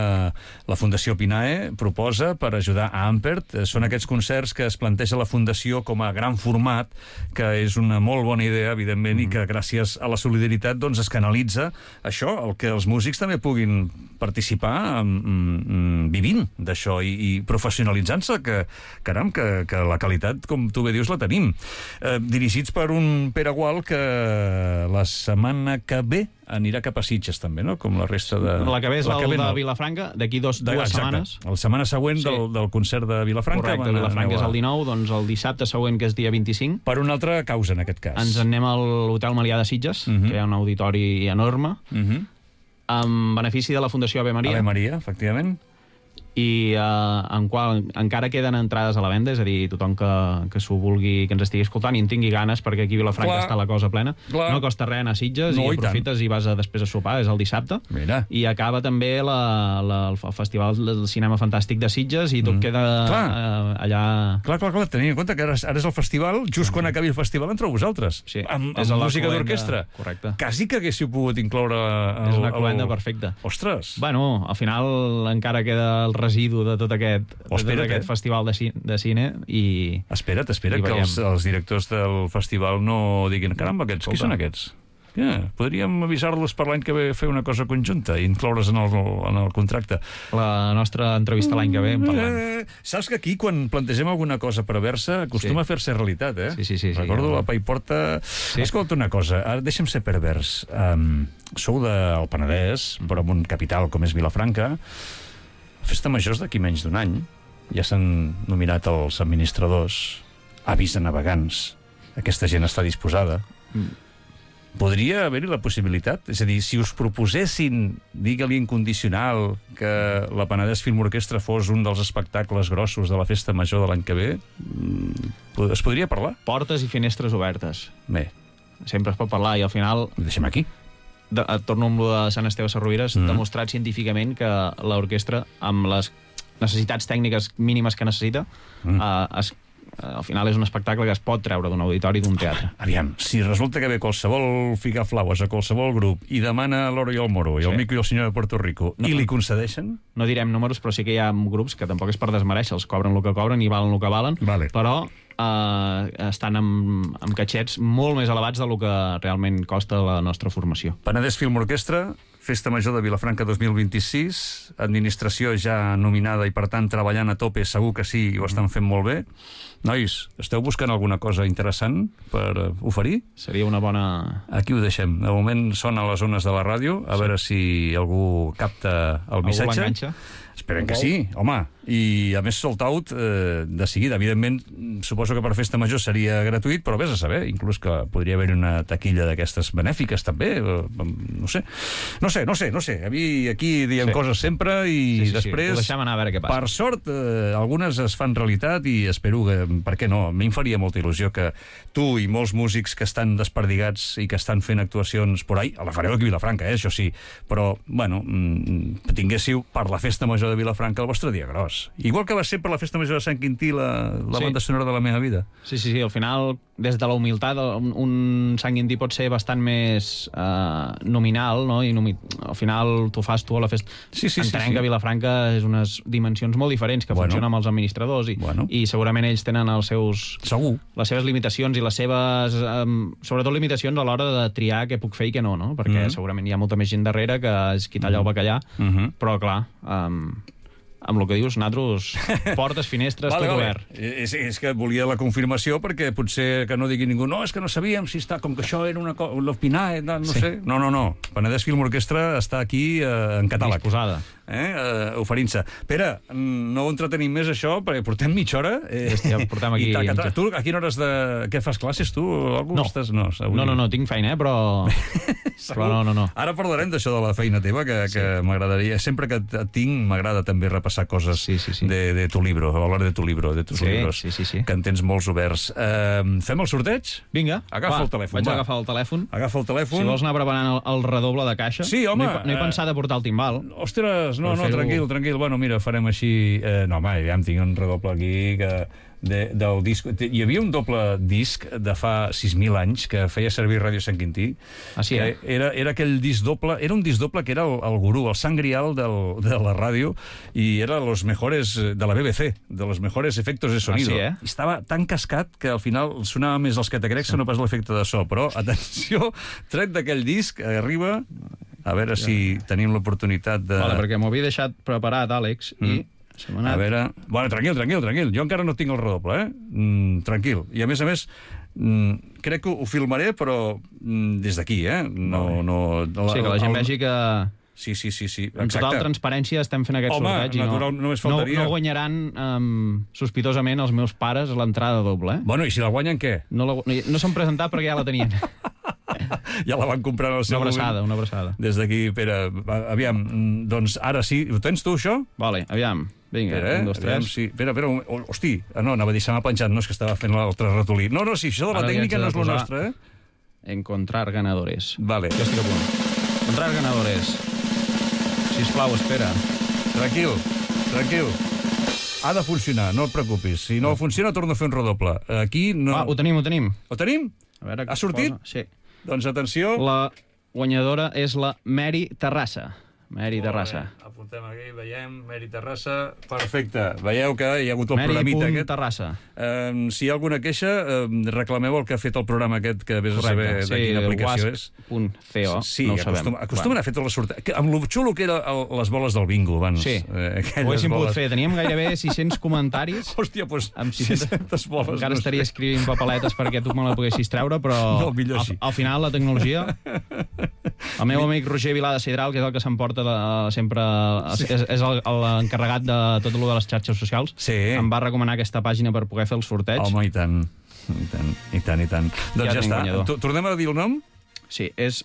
Speaker 1: la Fundació Pinae proposa per ajudar a Ampert. Són aquests concerts que es planteja la Fundació com a gran format, que és una molt bona idea, evidentment, mm. i que gràcies a la solidaritat doncs, es canalitza això, el que els músics també puguin participar mm, vivint d'això i, i professionalitzant-se, que caram, que, que la qualitat, com tu bé dius, la tenim. Eh, dirigits per un Pere Gual que la setmana que ve anirà cap a Sitges, també, no? Com la resta de...
Speaker 2: La que ve és la el de no. Vilafranca, d'aquí dues setmanes.
Speaker 1: La setmana següent sí. del, del concert de Vilafranca.
Speaker 2: Correcte, Vilafranca és el dinou, doncs el dissabte següent, que és dia vint-i-cinc.
Speaker 1: Per una altra causa, en aquest cas.
Speaker 2: Ens en anem a l'Hotel Melià de Sitges, uh -huh. que hi ha un auditori enorme, uh -huh. amb benefici de la Fundació Ave Maria.
Speaker 1: Ave Maria, efectivament.
Speaker 2: I eh, en qual encara queden entrades a la venda, és a dir, tothom que, que s'ho vulgui, que ens estigui escoltant i en tingui ganes, perquè aquí a Vilafranca clar, està la cosa plena. Clar. No costa res anar a Sitges no, i aprofites i, i vas a, després a sopar, és el dissabte.
Speaker 1: Mira.
Speaker 2: I acaba també la, la, el Festival del Cinema Fantàstic de Sitges i tot mm. queda eh, allà...
Speaker 1: Clar, clar, clar, tenint en compte que ara, ara és el festival, just mm. quan acabi el festival entreu vosaltres.
Speaker 2: Sí.
Speaker 1: Amb, amb música d'orquestra.
Speaker 2: Correcte.
Speaker 1: Quasi que haguéssiu pogut incloure... El,
Speaker 2: és una cloenda
Speaker 1: el...
Speaker 2: perfecta.
Speaker 1: Ostres!
Speaker 2: Bueno, al final encara queda el residu de tot aquest Aquest, oh, espera't, aquest eh? festival de, ci de cine i...
Speaker 1: Espera't, espera't, que els, els directors del festival no diguin caramba, aquests, qui són aquests? Yeah, podríem avisar-los per l'any que ve fer una cosa conjunta i incloure's en el, en el contracte.
Speaker 2: La nostra entrevista l'any que ve en parlem.
Speaker 1: Eh, saps que aquí, quan plantegem alguna cosa perversa, acostuma sí. a fer-se realitat, eh?
Speaker 2: Sí, sí, sí.
Speaker 1: Recordo
Speaker 2: sí,
Speaker 1: la Paiporta... Sí. Escolta una cosa, ara deixa'm ser pervers. Um, sou del Penedès, però en un capital com és Vilafranca. Festa Major és d'aquí menys d'un any. Ja s'han nominat els administradors, avis de navegants. Aquesta gent està disposada. Mm. Podria haver-hi la possibilitat? És a dir, si us proposessin, digue-li incondicional, que la Penedès Film Orquestra fos un dels espectacles grossos de la Festa Major de l'any que ve, es podria parlar?
Speaker 2: Portes i finestres obertes.
Speaker 1: Bé.
Speaker 2: Sempre es pot parlar i al final...
Speaker 1: Ho deixem aquí.
Speaker 2: De, torno amb lo de Sant Esteve Sarrovires, mm. demostrat científicament que l'orquestra, amb les necessitats tècniques mínimes que necessita, mm. eh, es al final és un espectacle que es pot treure d'un auditori d'un teatre.
Speaker 1: Aviam, si resulta que ve qualsevol Figaflaues a qualsevol grup i demana l'Oro i el Moro, i el sí. Mico i el senyor de Puerto Rico, no, i li concedeixen?
Speaker 2: No direm números, però sí que hi ha grups que tampoc és per desmereixer, els cobren el que cobren i valen el que valen,
Speaker 1: vale.
Speaker 2: Però eh, estan amb, amb catxets molt més elevats del que realment costa la nostra formació.
Speaker 1: Penedès Film Orquestra, Festa Major de Vilafranca dos mil vint-i-sis, administració ja nominada i, per tant, treballant a tope, segur que sí, ho estan fent molt bé. Nois, esteu buscant alguna cosa interessant per oferir?
Speaker 2: Seria una bona...
Speaker 1: Aquí ho deixem. De moment sona a les zones de la ràdio, a sí. veure si algú capta el missatge.
Speaker 2: Algú l'enganxa?
Speaker 1: Esperem que sí, home. I, a més, sold out eh, de seguida. Evidentment, suposo que per Festa Major seria gratuït, però vés a saber, inclús que podria haver una taquilla d'aquestes benèfiques, també. No sé. No No sé, no sé, no sé. A mi aquí diem
Speaker 2: Sí.
Speaker 1: coses sempre i
Speaker 2: Sí, sí, sí.
Speaker 1: després...
Speaker 2: Ho deixem anar a veure què passa.
Speaker 1: Per sort, eh, algunes es fan realitat i espero que, per què no, a mi em faria molta il·lusió que tu i molts músics que estan desperdigats i que estan fent actuacions por ahí, la fareu aquí a Vilafranca, eh, això sí, però, bueno, mm, tinguéssiu per la Festa Major de Vilafranca el vostre dia gros. Igual que va ser per la Festa Major de Sant Quintí la, la
Speaker 2: Sí.
Speaker 1: banda sonora de la meva vida.
Speaker 2: Sí, sí, sí, al final, des de la humilitat, un, un Sant Quintí pot ser bastant més eh, nominal, no? I nomi... al final t'ho fas tu a la festa.
Speaker 1: Sí, sí, sí,
Speaker 2: Entenem
Speaker 1: sí.
Speaker 2: que Vilafranca és unes dimensions molt diferents que
Speaker 1: Bueno.
Speaker 2: funcionen amb els administradors i,
Speaker 1: Bueno.
Speaker 2: i segurament ells tenen els seus,
Speaker 1: Segur.
Speaker 2: les seves limitacions i les seves, um, sobretot limitacions a l'hora de triar què puc fer i què no, no? Perquè
Speaker 1: Mhm.
Speaker 2: segurament hi ha molta més gent darrere que és qui talla el bacallà,
Speaker 1: Mhm.
Speaker 2: però clar, um, amb el que dius, nosaltres, portes, finestres,
Speaker 1: Vale,
Speaker 2: tot
Speaker 1: vale.
Speaker 2: obert.
Speaker 1: És, és que volia la confirmació perquè potser que no digui ningú no, és que no sabíem si està, com que això era una cosa, l'Opinar, no
Speaker 2: Sí.
Speaker 1: sé. No, no, no. Penedès Film Orquestra està aquí eh, en catàleg.
Speaker 2: Disposada.
Speaker 1: Eh, eh, oferint-se. Pere, mm, no ho entretenim més això, perquè portem mitja hora. Eh,
Speaker 2: Hòstia, portem aquí-
Speaker 1: I taca, taca. Tu, a quina hores de... Què fas, classes, tu? O algú
Speaker 2: No.
Speaker 1: estàs? No, avui...
Speaker 2: No, no, no, tinc feina, eh, però...
Speaker 1: Segur.
Speaker 2: però no, no, no.
Speaker 1: Ara parlarem d'això de la feina teva, que,
Speaker 2: Sí.
Speaker 1: que m'agradaria... Sempre que et tinc, m'agrada també repassar coses
Speaker 2: Sí, sí, sí.
Speaker 1: De, de tu libro, hablar de tu libro, de tus
Speaker 2: Sí,
Speaker 1: libros,
Speaker 2: sí, sí, sí.
Speaker 1: que en tens molts oberts. Uh, fem el sorteig?
Speaker 2: Vinga,
Speaker 1: Agafa
Speaker 2: va,
Speaker 1: el telèfon,
Speaker 2: Vaig
Speaker 1: va.
Speaker 2: agafar el telèfon.
Speaker 1: Agafa el telèfon.
Speaker 2: Si vols anar preparant el, el redoble de caixa.
Speaker 1: Sí, home,
Speaker 2: No he, no he
Speaker 1: eh,
Speaker 2: pensat de portar el timbal.
Speaker 1: Ostres, no,
Speaker 2: Per
Speaker 1: no,
Speaker 2: fer-ho-
Speaker 1: tranquil, tranquil. Bueno, mira, farem així... Eh, no, home, ja em tinc un redoble aquí que... De, del disc. Hi havia un doble disc de fa sis mil anys que feia servir Ràdio Sant Quintí.
Speaker 2: Ah, sí, eh?
Speaker 1: Que era, era aquell disc doble, era un disc doble que era el, el gurú, el sant grial del, de la ràdio, i era los mejores, de la B B C, de los mejores efectos de sonido.
Speaker 2: Ah, sí, eh?
Speaker 1: I estava tan cascat que al final sonava més els que te crec, sí. no pas l'efecte de so. Però, atenció, tret d'aquell disc, arriba... A veure si tenim l'oportunitat de...
Speaker 2: Vale, perquè m'ho havia deixat preparat, Àlex, mm. i se m'ha
Speaker 1: A
Speaker 2: anat...
Speaker 1: veure... Bueno, tranquil, tranquil, tranquil. Jo encara no tinc el redoble, eh? Mm, tranquil. I a més a més, mm, crec que ho filmaré, però mm, des d'aquí, eh? No, no, la,
Speaker 2: Sí, que la gent
Speaker 1: el...
Speaker 2: vegi que
Speaker 1: Sí, sí, sí, sí.
Speaker 2: en total transparència estem fent aquest
Speaker 1: Home,
Speaker 2: sorteig i no,
Speaker 1: natural, només faltaria.
Speaker 2: no, no guanyaran um, sospitosament els meus pares l'entrada doble, eh?
Speaker 1: Bueno, i si la guanyen, què?
Speaker 2: No, la, no, no s'han presentat perquè ja la tenien.
Speaker 1: Ja la van comprar en el
Speaker 2: Una
Speaker 1: seu
Speaker 2: abraçada,
Speaker 1: moment.
Speaker 2: una abraçada.
Speaker 1: Des d'aquí, Pere, va, aviam, mm, doncs ara sí. Ho tens tu, això?
Speaker 2: Vale, aviam. Vinga,
Speaker 1: Espera, eh?
Speaker 2: un, dos,
Speaker 1: Aviam,
Speaker 2: tres.
Speaker 1: sí. Espera, espera, un- oh, hosti, ah, no, anava a dir, se m'ha penjat, no, és que estava fent l'altre ratolí. No, no, sí, això de la
Speaker 2: Ara li
Speaker 1: tècnica
Speaker 2: haig
Speaker 1: no
Speaker 2: de
Speaker 1: és lo
Speaker 2: posar-
Speaker 1: nostre, eh?
Speaker 2: Encontrar ganadores.
Speaker 1: Vale.
Speaker 2: Jo estic a punt. Encontrar ganadores. Sisplau, espera.
Speaker 1: Tranquil, tranquil. Ha de funcionar, no et preocupis. Si no funciona, torno a fer un redoble. Aquí no...
Speaker 2: Ah, ho tenim, ho tenim.
Speaker 1: Ho tenim?
Speaker 2: A veure què
Speaker 1: Ha sortit?
Speaker 2: posa. Sí.
Speaker 1: Doncs atenció.
Speaker 2: La guanyadora és la Mary Terrassa. Mary Terrassa.
Speaker 1: Molt bé. Apuntem aquí, veiem, Meri Terrassa. Perfecte. Veieu que hi ha hagut el
Speaker 2: Mary
Speaker 1: programita
Speaker 2: punt
Speaker 1: aquest.
Speaker 2: Terrassa.
Speaker 1: Um, si hi ha alguna queixa, um, reclameu el que ha fet el programa aquest, que vés a saber de quina aplicació és.
Speaker 2: wasp.co,
Speaker 1: Sí,
Speaker 2: no ho sabem.
Speaker 1: acostuma, acostumen a fer tot la sorteig. Que, amb lo xulo que era el, les boles del bingo abans.
Speaker 2: Sí,
Speaker 1: Eh, aquelles
Speaker 2: ho haguéssim pogut
Speaker 1: boles.
Speaker 2: fer. Teníem gairebé sis-cents comentaris.
Speaker 1: Hòstia, doncs
Speaker 2: Amb
Speaker 1: sis-centes boles.
Speaker 2: Encara
Speaker 1: no
Speaker 2: estaria
Speaker 1: sé.
Speaker 2: escrivint papeletes perquè tu me la poguessis treure, però
Speaker 1: No, millor
Speaker 2: al,
Speaker 1: així.
Speaker 2: al final la tecnologia... El meu amic Roger Vilà de Sidral, que és el que s'emporta de- sempre... Sí. És, és el- l'encarregat de tot el de les xarxes socials,
Speaker 1: Sí.
Speaker 2: em va recomanar aquesta pàgina per poder fer el sorteig.
Speaker 1: Home, i tant. I tant, i tant, i tant. Doncs ja,
Speaker 2: tenim
Speaker 1: està.
Speaker 2: guanyador.
Speaker 1: To- Tornem a dir el nom?
Speaker 2: Sí, és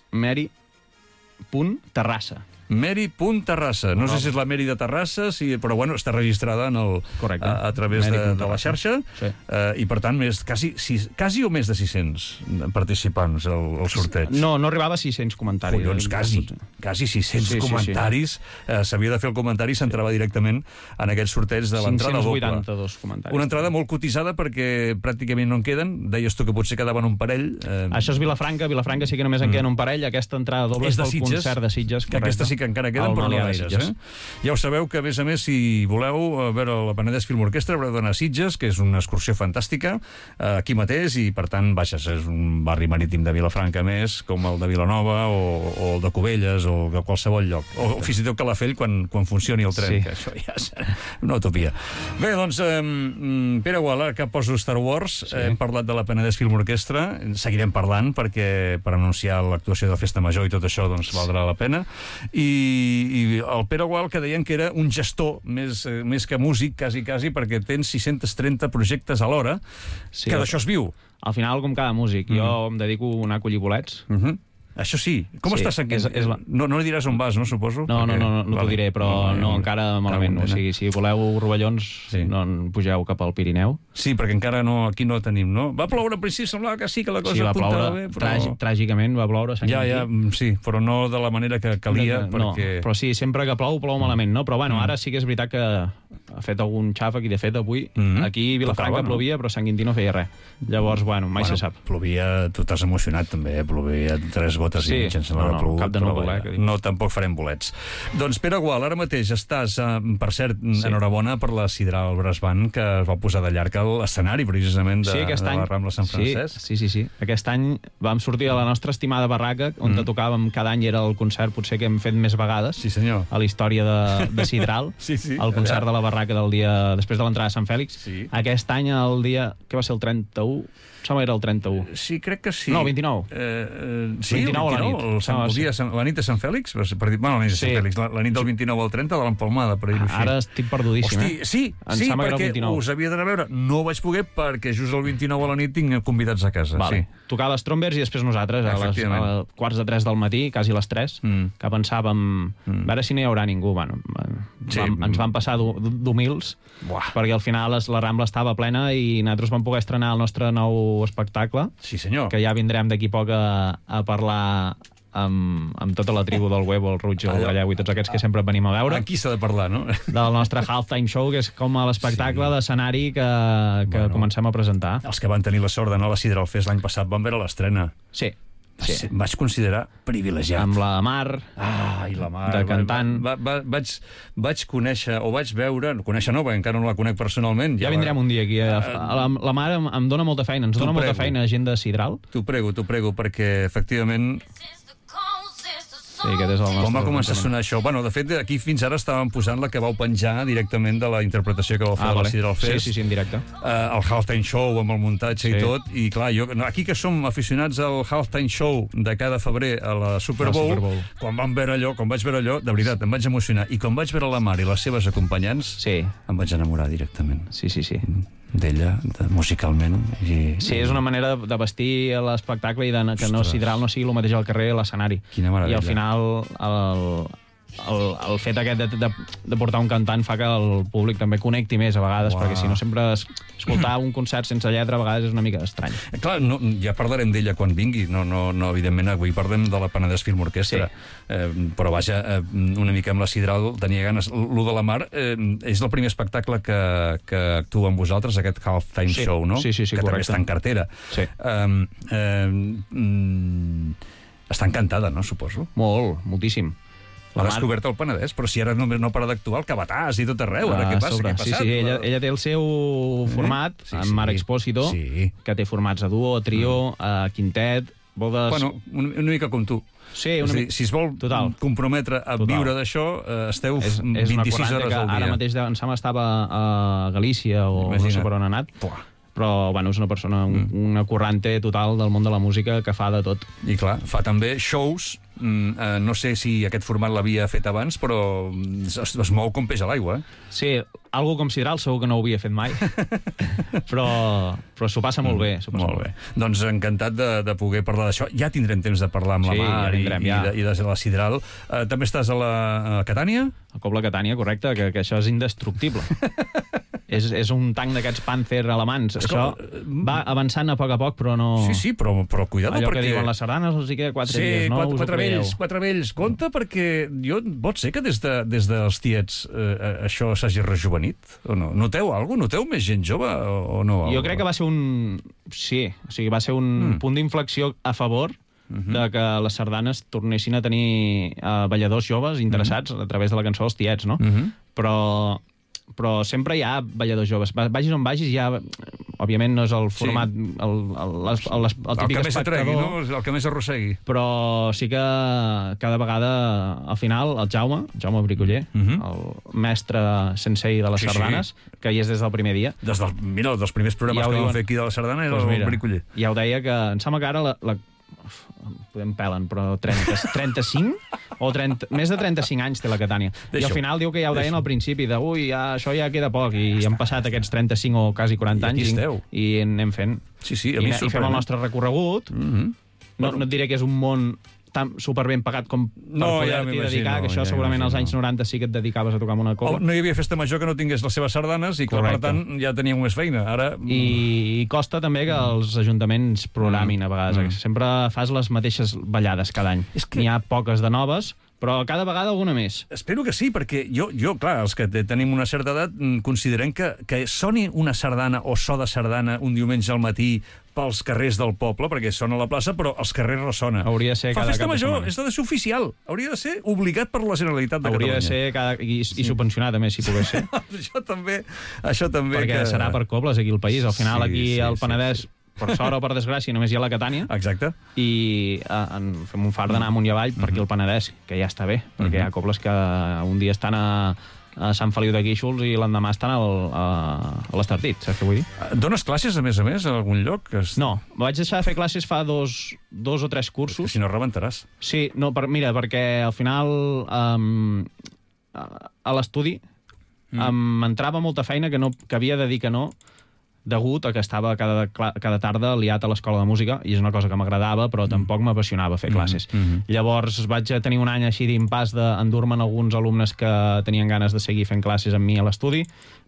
Speaker 2: Mary.Terrassa.
Speaker 1: Meri.Terrassa. No sé si és la Meri de Terrassa, si, però bueno, està registrada en el,
Speaker 2: Correcte.
Speaker 1: a, a través de, de la
Speaker 2: Meri.Terrassa.
Speaker 1: xarxa.
Speaker 2: Sí.
Speaker 1: Eh, I per tant, més, quasi, sis, quasi o més de sis-cents participants al, al sorteig.
Speaker 2: No, no arribava a sis-cents comentaris.
Speaker 1: Collons, quasi, quasi sis-cents
Speaker 2: Sí, sí, sí.
Speaker 1: comentaris. Eh, S'havia de fer el comentari i s'entrava directament en aquest sorteig de l'entrada doble.
Speaker 2: cinc-cents vuitanta-dos comentaris.
Speaker 1: Una entrada molt cotitzada perquè pràcticament no en queden. Deies tu que potser quedaven un parell. Eh,
Speaker 2: Això és Vilafranca, Vilafranca sí que només en queden un parell, aquesta entrada doble és
Speaker 1: és de
Speaker 2: pel
Speaker 1: Sitges,
Speaker 2: concert de Sitges.
Speaker 1: que aquesta sí que encara queden, però no
Speaker 2: Malià de
Speaker 1: gaires.
Speaker 2: Sitges.
Speaker 1: Eh? Ja ho sabeu que, a més a més, si voleu eh, veure la Penedès Film Orquestra, haureu d'anar a Sitges, que és una excursió fantàstica, eh, aquí mateix, i per tant, vaja, és un barri marítim de Vilafranca més, com el de Vilanova, o, o el de Cubelles, o de qualsevol lloc. O, o fins i tot Calafell, quan, quan funcioni el tren,
Speaker 2: Sí.
Speaker 1: que això ja és una utopia. Bé, doncs, eh, Pere Guala, que poso Star Wars,
Speaker 2: Sí.
Speaker 1: eh, hem parlat de la Penedès Film Orquestra, seguirem parlant, perquè per anunciar l'actuació de Festa Major i tot això, doncs, valdrà la pena. I, i el Pere Gual, que deien que era un gestor més, eh, més que músic, quasi, quasi, perquè tens sis-cents trenta projectes alhora,
Speaker 2: Sí,
Speaker 1: que d'això es viu.
Speaker 2: Al final, com cada músic,
Speaker 1: Mm.
Speaker 2: jo em dedico a anar a collir bolets,
Speaker 1: Uh -huh. Això sí. Com
Speaker 2: Sí,
Speaker 1: està Sant Quintí?
Speaker 2: és- és la-
Speaker 1: No, no li diràs on vas, no, suposo?
Speaker 2: No, no,
Speaker 1: Perquè-
Speaker 2: no, no, no t'ho
Speaker 1: Vale.
Speaker 2: diré, però no,
Speaker 1: no,
Speaker 2: encara malament. O sigui, si voleu rovellons,
Speaker 1: Sí.
Speaker 2: no en pugeu cap al Pirineu.
Speaker 1: Sí, perquè encara no, aquí no tenim, no? Va ploure al principi, semblava que sí, que la cosa
Speaker 2: Sí, va
Speaker 1: apuntava
Speaker 2: ploure,
Speaker 1: bé, però...
Speaker 2: tràgic, tràgicament va ploure a Sant
Speaker 1: Ja,
Speaker 2: Quintí.
Speaker 1: ja, mm, sí, però no de la manera que calia,
Speaker 2: no,
Speaker 1: perquè...
Speaker 2: però sí, sempre que plou, plou malament, no? Però bueno, ara sí que és veritat que ha fet algun xàfec i de fet avui
Speaker 1: Mhm.
Speaker 2: aquí a Vilafranca
Speaker 1: Tocava, no?
Speaker 2: plovia, però Sant Quintí no feia res. Llavors, bueno, mai
Speaker 1: Bueno,
Speaker 2: se sap.
Speaker 1: Plovia, tu t'has emocionat també, eh? Plovia tres gotes
Speaker 2: Sí,
Speaker 1: i mitja, em sembla
Speaker 2: no,
Speaker 1: que
Speaker 2: no,
Speaker 1: ha plogut,
Speaker 2: cap de
Speaker 1: però
Speaker 2: núvol,
Speaker 1: vaja,
Speaker 2: eh, que dius.
Speaker 1: no, tampoc farem bolets. Doncs Pere Gual, ara mateix estàs, eh, per cert,
Speaker 2: Sí.
Speaker 1: enhorabona per la Sidral Brass Band, que es va posar de llarg a l'escenari, precisament, de,
Speaker 2: Sí, aquest
Speaker 1: de
Speaker 2: any,
Speaker 1: la Rambla Sant Francesc.
Speaker 2: Sí, sí, sí, sí. Aquest any vam sortir a la nostra estimada barraca, on
Speaker 1: Mm.
Speaker 2: tocàvem cada any, era el concert potser que hem fet més vegades
Speaker 1: Sí, senyor.
Speaker 2: a la història de, de Sidral,
Speaker 1: Sí, sí,
Speaker 2: el concert
Speaker 1: allà.
Speaker 2: de la barraca del dia després de l'entrada de Sant Fèlix.
Speaker 1: Sí.
Speaker 2: Aquest any, el dia, que va ser el trenta-u? Em sembla que era el trenta-u.
Speaker 1: Sí, crec que sí.
Speaker 2: No, el vint-i-nou.
Speaker 1: Eh, eh, sí,
Speaker 2: vint-i-nou a la
Speaker 1: el
Speaker 2: nit.
Speaker 1: el, Sant,
Speaker 2: Ah,
Speaker 1: el
Speaker 2: sí.
Speaker 1: dia, de Sant- la nit de Sant Fèlix, per dir, bueno, la nit de Sant
Speaker 2: Sí.
Speaker 1: Fèlix, la, la nit del vint-i-nou al trenta de l'Empalmada, per dir-ho així.
Speaker 2: Ara estic perdudíssim,
Speaker 1: Hosti,
Speaker 2: eh?
Speaker 1: sí,
Speaker 2: Em
Speaker 1: sí,
Speaker 2: sembla que era el
Speaker 1: perquè
Speaker 2: vint-i-nou.
Speaker 1: us havia d'anar a veure. No vaig poder perquè just el vint-i-nou a la nit tinc convidats a casa.
Speaker 2: Vale.
Speaker 1: Sí.
Speaker 2: Tocava les Trombers i després nosaltres, a les,
Speaker 1: Efectivament.
Speaker 2: a les quarts de tres del matí, quasi les tres,
Speaker 1: Mm.
Speaker 2: que pensàvem,
Speaker 1: Mm.
Speaker 2: a veure si no hi haurà ningú. Bueno,
Speaker 1: Sí.
Speaker 2: vam, ens van passar d'hu- d'humils,
Speaker 1: Buah.
Speaker 2: perquè al final es- la Rambla estava plena i nosaltres vam poder estrenar el nostre nou espectacle,
Speaker 1: Sí, senyor.
Speaker 2: que ja vindrem d'aquí poc a, a parlar amb, amb tota la tribu del Huevo, el Ruig, el
Speaker 1: Allò-
Speaker 2: Gallego i tots aquests que sempre venim a veure,
Speaker 1: Aquí s'ha de parlar, no?
Speaker 2: del nostre halftime show, que és com l'espectacle
Speaker 1: Sí.
Speaker 2: d'escenari que, que
Speaker 1: Bueno.
Speaker 2: comencem a presentar.
Speaker 1: Els que van tenir la sort d'anar a la Sidral Fest l'any passat van veure l'estrena.
Speaker 2: Sí,
Speaker 1: Sí.
Speaker 2: sí.
Speaker 1: Em vaig considerar privilegiat.
Speaker 2: Amb la Mar,
Speaker 1: Ah, i la mar.
Speaker 2: de cantant.
Speaker 1: Va, va, va, vaig, vaig conèixer, o vaig veure, conèixer no, perquè encara no la conec personalment.
Speaker 2: ja vindrem un dia aquí. A, a la, la Mar em, em dona molta feina, ens
Speaker 1: T'ho
Speaker 2: dona molta
Speaker 1: prego.
Speaker 2: feina gent de Sidral.
Speaker 1: T'ho prego, t'ho prego, perquè efectivament
Speaker 2: Sí, aquest és el nostre...
Speaker 1: com va començar a sonar això? Bueno, de fet, aquí fins ara estàvem posant la que vau penjar directament de la interpretació que vau fer
Speaker 2: Ah,
Speaker 1: a la
Speaker 2: vale.
Speaker 1: Sidral
Speaker 2: Sí,
Speaker 1: Fest.
Speaker 2: sí, sí, en directe.
Speaker 1: Uh, el halftime show amb el muntatge
Speaker 2: Sí.
Speaker 1: i tot, i clar, jo, no, aquí que som aficionats al halftime show de cada febrer a la Super
Speaker 2: La
Speaker 1: Bowl,
Speaker 2: Super Bowl.
Speaker 1: quan vam veure allò, quan vaig veure allò, de veritat, em vaig emocionar, i quan vaig veure la Mar i les seves acompanyants,
Speaker 2: Sí,
Speaker 1: em vaig enamorar directament
Speaker 2: sí, sí, sí.
Speaker 1: d'ella, de, musicalment, i...
Speaker 2: Sí, és una manera de vestir l'espectacle i de que no
Speaker 1: Ostres.
Speaker 2: Sidral no sigui el mateix al carrer a l'escenari.
Speaker 1: Quina meravella.
Speaker 2: I al final el, el, el fet aquest de, de, de portar un cantant fa que el públic també connecti més a vegades,
Speaker 1: Uau.
Speaker 2: perquè si no sempre es, escoltar un concert sense lletra a vegades és una mica estrany.
Speaker 1: Clar, no, ja parlarem d'ella quan vingui, no, no, no, evidentment avui parlem de la Penedès Film Orquestra,
Speaker 2: Sí.
Speaker 1: eh, però vaja, eh, una mica amb la Sidral tenia ganes. Lo de la Mar eh, és el primer espectacle que, que actua amb vosaltres, aquest halftime
Speaker 2: Sí.
Speaker 1: show, no?
Speaker 2: Sí, sí, sí,
Speaker 1: que també
Speaker 2: correcte.
Speaker 1: està en cartera.
Speaker 2: Sí.
Speaker 1: Eh, eh, mm, està encantada, no, suposo?
Speaker 2: Molt, moltíssim.
Speaker 1: L'ha
Speaker 2: Mar-
Speaker 1: descobert al Penedès, però si ara només no para d'actuar al Cabatàs i tot arreu, ara
Speaker 2: Ah,
Speaker 1: què passa?
Speaker 2: sobre.
Speaker 1: Què ha
Speaker 2: Sí,
Speaker 1: passat?
Speaker 2: sí, ella, ella té el seu format,
Speaker 1: Sí,
Speaker 2: sí, amb
Speaker 1: sí.
Speaker 2: Mar Expósito,
Speaker 1: Sí.
Speaker 2: que té formats a duo, a trio, mm. a quintet, vol de...
Speaker 1: Bueno, una, una mica com tu.
Speaker 2: sí,
Speaker 1: És
Speaker 2: una
Speaker 1: a dir,
Speaker 2: mica...
Speaker 1: si es vol
Speaker 2: Total.
Speaker 1: comprometre a
Speaker 2: Total.
Speaker 1: viure d'això, eh, esteu
Speaker 2: És, és una
Speaker 1: vint-i-sis
Speaker 2: quaranta
Speaker 1: hores
Speaker 2: que
Speaker 1: al dia.
Speaker 2: ara mateix em sembla estava a Galícia o
Speaker 1: Imagina't.
Speaker 2: no sé per on ha anat,
Speaker 1: Pua.
Speaker 2: però bueno, és una persona, un, una currante total del món de la música que fa de tot.
Speaker 1: I clar, fa també shows, mm, eh, no sé si aquest format l'havia fet abans, però es, es mou com peix a l'aigua, eh?
Speaker 2: Sí, algo com Sidral segur que no ho havia fet mai, però, però s'ho passa molt bé. S'ho passa molt bé.
Speaker 1: Doncs encantat de, de poder parlar d'això. Ja tindrem temps de parlar amb
Speaker 2: Sí,
Speaker 1: la Mar
Speaker 2: ja vindrem,
Speaker 1: i,
Speaker 2: ja.
Speaker 1: i, de, i de la Sidral. Eh, també estàs a la a Catània?
Speaker 2: El Cobla Catània, correcte, que, que això és indestructible. és, és un tanc d'aquests Panther alemans.
Speaker 1: És
Speaker 2: Això
Speaker 1: com-
Speaker 2: va avançant a poc a poc, però no...
Speaker 1: Sí, sí, però, però cuidado,
Speaker 2: Allò
Speaker 1: perquè...
Speaker 2: que diuen les sardanes els hi queda quatre
Speaker 1: sí,
Speaker 2: dies, no
Speaker 1: quatre,
Speaker 2: us ho
Speaker 1: quatre
Speaker 2: creieu.
Speaker 1: vells, quatre vells. Compte, perquè jo, pot ser que des, de, des dels tiets eh, això s'hagi rejuvenit, o no? Noteu alguna cosa? Noteu més gent jove o, o no?
Speaker 2: Jo crec que va ser un... Sí, o sigui, va ser un
Speaker 1: Mm.
Speaker 2: punt d'inflexió a favor
Speaker 1: Mhm.
Speaker 2: de que les sardanes tornessin a tenir uh, balladors joves interessats a través de la cançó dels tiets, no?
Speaker 1: Mhm.
Speaker 2: Però, però sempre hi ha balladors joves. Va- Vagis on vagis, hi ha... Òbviament no és el format, sí. el, el, el, el, el, el
Speaker 1: El
Speaker 2: típic
Speaker 1: que més atregui,
Speaker 2: espectador,
Speaker 1: no? El que més arrossegui.
Speaker 2: però sí que cada vegada, al final, el Jaume, el Jaume Bricoller,
Speaker 1: Mhm.
Speaker 2: el mestre sensei de les
Speaker 1: Sí, sí.
Speaker 2: sardanes, que hi és des del primer dia,
Speaker 1: Des del, mira, dels primers programes
Speaker 2: Ja ho
Speaker 1: que vam
Speaker 2: diuen.
Speaker 1: fer aquí de la Sardana era
Speaker 2: doncs
Speaker 1: el
Speaker 2: mira,
Speaker 1: Bricoller.
Speaker 2: ja ho deia que em sembla que ara la, la uf, podem pelen, però trenta, trenta-cinc o trenta, més de trenta-cinc anys té la Catània. I
Speaker 1: Deixa-ho.
Speaker 2: al final diu que ja ho deien
Speaker 1: Deixa-ho.
Speaker 2: al principi, de ui, ja, això ja queda poc, i han passat aquests trenta-cinc o quasi quaranta
Speaker 1: I aquí
Speaker 2: anys
Speaker 1: esteu.
Speaker 2: i, i anem fent.
Speaker 1: Sí, sí, a
Speaker 2: I,
Speaker 1: mi
Speaker 2: I fem
Speaker 1: sorprèn.
Speaker 2: el nostre recorregut.
Speaker 1: Mhm.
Speaker 2: No, no et diré que és un món està super ben pagat com per
Speaker 1: No, ja
Speaker 2: poder-t'hi
Speaker 1: m'imagino,
Speaker 2: dedicar, que això
Speaker 1: ja
Speaker 2: segurament als
Speaker 1: m'imagino.
Speaker 2: anys noranta sí que et dedicaves a tocar amb una
Speaker 1: Oh,
Speaker 2: cobla.
Speaker 1: no hi havia festa major que no tingués les seves sardanes i, clar, per
Speaker 2: Correcte.
Speaker 1: tant, ja teníem més feina. Ara...
Speaker 2: I, i costa també que els ajuntaments programin a vegades.
Speaker 1: Mm.
Speaker 2: Sempre fas les mateixes ballades cada any.
Speaker 1: És que-
Speaker 2: N'hi ha poques de noves, però cada vegada alguna més.
Speaker 1: Espero que sí, perquè jo, jo clar, els que te- tenim una certa edat mm, considerem que, que soni una sardana o so de sardana un diumenge al matí pels carrers del poble, perquè sona a la plaça, però als carrers ressona.
Speaker 2: Hauria de ser
Speaker 1: Fa
Speaker 2: cada
Speaker 1: festa
Speaker 2: cap de
Speaker 1: major,
Speaker 2: setmana.
Speaker 1: és de ser oficial. Hauria de ser obligat per la Generalitat de
Speaker 2: Hauria
Speaker 1: Catalunya.
Speaker 2: de ser cada, i, i subvencionat, a més, si pogués ser.
Speaker 1: això també, això també
Speaker 2: Perquè
Speaker 1: que...
Speaker 2: serà per cobles aquí al país. Al final,
Speaker 1: Sí,
Speaker 2: aquí
Speaker 1: sí,
Speaker 2: al
Speaker 1: sí,
Speaker 2: Penedès,
Speaker 1: sí.
Speaker 2: per sort o per desgràcia, només hi ha la Catània,
Speaker 1: Exacte.
Speaker 2: i eh, en, fem un far d'anar amunt i avall per aquí al Penedès, que ja està bé, perquè hi ha cobles que un dia estan a, a Sant Feliu de Guíxols i l'endemà estan al, a, a l'Estartit, saps què vull dir?
Speaker 1: Dones classes, a més a més, a algun lloc? Que es...
Speaker 2: No, vaig deixar de fer classes fa dos, dos o tres
Speaker 1: Que
Speaker 2: cursos.
Speaker 1: si no rebentaràs.
Speaker 2: Sí, no, per, mira, perquè al final um, a, a l'estudi mm. m'entrava molta feina que, no, que havia de dir que no, degut a que estava cada, cada tarda liat a l'escola de música, i és una cosa que m'agradava, però tampoc m'apassionava fer classes.
Speaker 1: Mm -hmm.
Speaker 2: Llavors vaig tenir un any així d'impàs d'endur-me'n alguns alumnes que tenien ganes de seguir fent classes amb mi a l'estudi,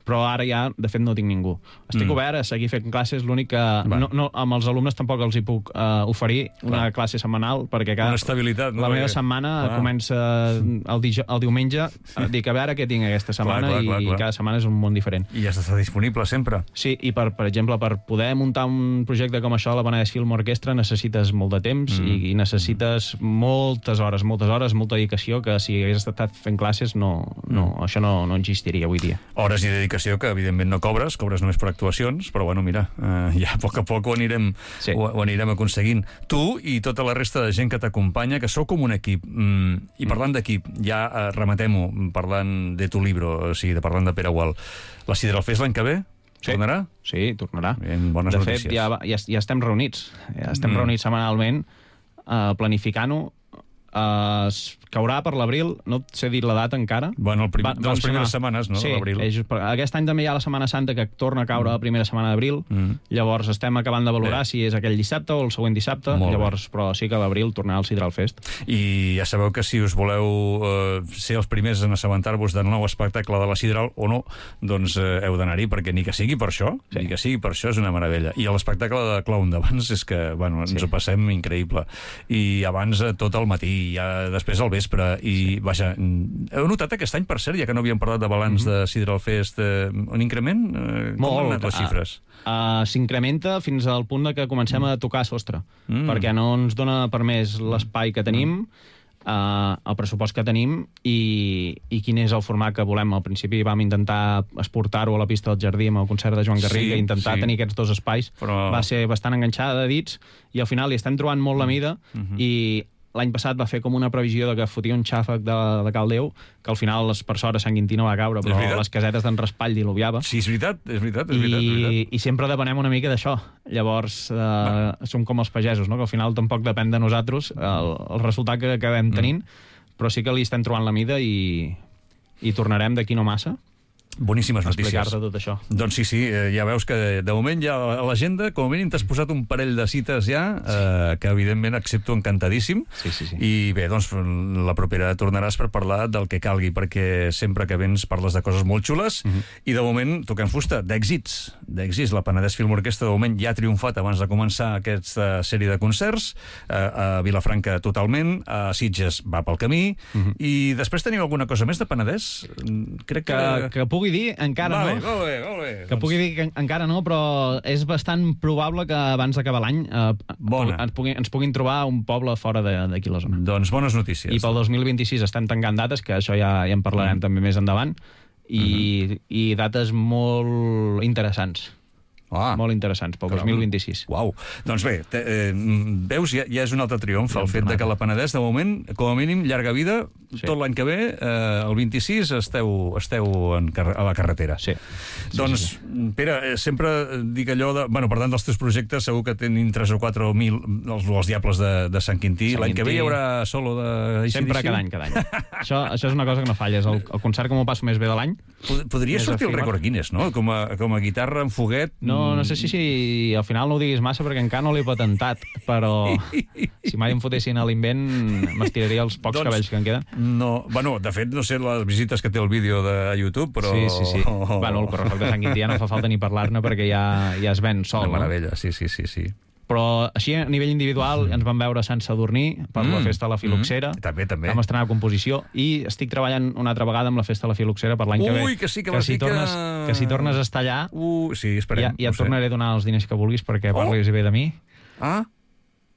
Speaker 2: però ara ja, de fet, no tinc ningú. Estic mm. obert a seguir fent classes, l'únic que no, no, amb els alumnes tampoc els hi puc uh, oferir una
Speaker 1: Clar.
Speaker 2: classe setmanal, perquè cada,
Speaker 1: Una estabilitat, no?
Speaker 2: la meva
Speaker 1: Perquè-
Speaker 2: setmana
Speaker 1: Clar.
Speaker 2: comença el, dij el diumenge, dic a veure què tinc aquesta setmana,
Speaker 1: clar, clar,
Speaker 2: i
Speaker 1: clar.
Speaker 2: cada setmana és un món diferent.
Speaker 1: I has d'estar disponible sempre.
Speaker 2: Sí, i per, per exemple, per poder muntar un projecte com això a la Penedès Film Orquestra necessites molt de temps mm. i, i necessites moltes hores, moltes hores, molta dedicació, que si hagués estat fent classes no, no, mm. això no, no existiria avui dia.
Speaker 1: Hores i dedicació que, evidentment, no cobres, cobres només per actuacions, però, bueno, mira, eh, ja a poc a poc ho anirem,
Speaker 2: Sí.
Speaker 1: ho, ho anirem aconseguint. Tu i tota la resta de gent que t'acompanya, que sou com un equip. Mm, I parlant d'equip, ja eh, rematem-ho, parlant de tu libro, o sigui, de parlant de Pere Gual. La Sidra al Fest l'any que ve?
Speaker 2: Sí.
Speaker 1: Tornarà?
Speaker 2: Sí, tornarà.
Speaker 1: Ben, bones
Speaker 2: de
Speaker 1: notícies.
Speaker 2: fet, ja, va- ja, ja estem reunits. Ja estem
Speaker 1: Mm.
Speaker 2: mm. reunits setmanalment, uh, planificant-ho. Uh, es caurà per l'abril, no et sé dir la data encara.
Speaker 1: Bueno, el prim,
Speaker 2: Va-
Speaker 1: de
Speaker 2: van
Speaker 1: les primeres
Speaker 2: sonar-
Speaker 1: setmanes, no?,
Speaker 2: Sí,
Speaker 1: de l'abril.
Speaker 2: és, per- aquest any també hi ha la Setmana Santa, que torna a caure la primera setmana d'abril.
Speaker 1: Mm.
Speaker 2: Llavors estem acabant de valorar
Speaker 1: Bé.
Speaker 2: si és aquell dissabte o el següent dissabte.
Speaker 1: Molt bé.
Speaker 2: Llavors, però sí que a l'abril tornarà al Sidral Fest.
Speaker 1: I ja sabeu que si us voleu eh, ser els primers en assabentar-vos del nou espectacle de la Sidral o no, doncs eh, heu d'anar-hi, perquè ni que sigui per això,
Speaker 2: Sí.
Speaker 1: ni que sigui per això és una meravella. I l'espectacle de clown d'abans és que, bueno, ens
Speaker 2: Sí.
Speaker 1: ho passem increïble. I abans eh, tot el matí, ja després al vespre, i sí. vaja, mm, heu notat aquest any, per cert, ja que no havíem parlat de balanç mm -hmm. de Sidral Fest, eh, un increment? Eh, com
Speaker 2: Molt.
Speaker 1: han anat les xifres?
Speaker 2: Uh, S'incrementa fins al punt de que comencem a tocar sostre,
Speaker 1: Mm.
Speaker 2: perquè no ens dona per més l'espai que tenim, uh, el pressupost que tenim i, i quin és el format que volem. Al principi vam intentar exportar-ho a la pista del Jardí amb el concert de Joan Garriga,
Speaker 1: Sí,
Speaker 2: intentar
Speaker 1: sí.
Speaker 2: tenir aquests dos espais.
Speaker 1: Però-
Speaker 2: Va ser bastant enganxada de dits i al final li estem trobant molt la mida
Speaker 1: Mm-hmm.
Speaker 2: i l'any passat va fer com una previsió de que fotia un xàfec de, de Caldeu, que al final, les, per sort, a Sant Quintí no va caure,
Speaker 1: És
Speaker 2: però
Speaker 1: veritat.
Speaker 2: les casetes d'en Raspall diluviava.
Speaker 1: Sí, és veritat, és veritat, és veritat. És
Speaker 2: I,
Speaker 1: veritat.
Speaker 2: i sempre depenem una mica d'això. Llavors, eh, som com els pagesos, no? Que al final tampoc depèn de nosaltres el, el resultat que acabem tenint, mm. però sí que li estem trobant la mida i, i tornarem d'aquí no massa
Speaker 1: Boníssimes
Speaker 2: a
Speaker 1: notícies.
Speaker 2: explicar-te tot això.
Speaker 1: Doncs sí, sí, eh, ja veus que de moment ja a l'agenda, com a mínim t'has posat un parell de cites ja, eh, que evidentment accepto encantadíssim.
Speaker 2: Sí, sí, sí.
Speaker 1: I bé, doncs la propera tornaràs per parlar del que calgui, perquè sempre que vens parles de coses molt xules,
Speaker 2: Mhm.
Speaker 1: i de moment toquem fusta, d'èxits, d'èxits. La Penedès Film Orquestra de moment ja ha triomfat abans de començar aquesta sèrie de concerts, eh, a Vilafranca totalment, a Sitges va pel camí,
Speaker 2: Mhm.
Speaker 1: i després teniu alguna cosa més de Penedès? Crec que...
Speaker 2: Que, que pugui dir, encara
Speaker 1: vale,
Speaker 2: no.
Speaker 1: Molt bé, molt bé.
Speaker 2: Que pugui dir que encara no, però és bastant probable que abans d'acabar l'any eh,
Speaker 1: Bona.
Speaker 2: ens, puguin, ens puguin trobar un poble fora de- d'aquí la zona.
Speaker 1: Doncs bones notícies.
Speaker 2: I pel dos mil vint-i-sis estem tancant dates, que això ja, ja en parlarem mm. també més endavant, i, mm-hmm. i dates molt interessants.
Speaker 1: Ah,
Speaker 2: Molt interessants pel dos mil vint-i-sis.
Speaker 1: Uau. Doncs bé, te, eh, veus, ja, ja és un altre triomf el fet de que la Penedès, de moment, com a mínim, llarga vida,
Speaker 2: Sí.
Speaker 1: tot l'any que ve, eh, el vint-i-sis, esteu, esteu en car a la carretera.
Speaker 2: Sí.
Speaker 1: Doncs,
Speaker 2: sí, sí.
Speaker 1: Pere, eh, sempre dic allò de... Bueno, per tant, dels teus projectes, segur que tenin tres o quatre mil els, els Diables de, de Sant Quintí. L'any que ve hi haurà solo de A C D C?
Speaker 2: Sempre, cada any, cada any. això, això és una cosa que no falla. És el, el concert que m'ho passo més bé de l'any.
Speaker 1: Podria sortir el rècord Guinness, no? Com a, com a guitarra en foguet...
Speaker 2: No, no sé si, si al final no ho diguis massa, perquè encara no l'he patentat, però si mai em fotessin a l'invent m'estiraria els pocs doncs, cabells que em queden.
Speaker 1: No, bueno, de fet, no sé les visites que té el vídeo de YouTube, però...
Speaker 2: Sí, sí, sí. Oh. Bueno, el correfoc de Sant Quintí ja no fa falta ni parlar-ne perquè ja, ja es ven sol.
Speaker 1: Una meravella, no? sí, sí, sí, sí.
Speaker 2: Però així, a nivell individual, mm. ens vam veure a Sant Sadurní per mm. la Festa de la Filoxera.
Speaker 1: Mm. També, també.
Speaker 2: Vam estrenar composició i estic treballant una altra vegada amb la Festa de la Filoxera per l'any que ve.
Speaker 1: Ui, que sí, que,
Speaker 2: que,
Speaker 1: si
Speaker 2: si tornes,
Speaker 1: que...
Speaker 2: que si tornes a estar allà,
Speaker 1: uh, sí, esperem,
Speaker 2: ja, ja et tornaré a donar els diners que vulguis perquè oh. parlis bé de mi.
Speaker 1: Ah,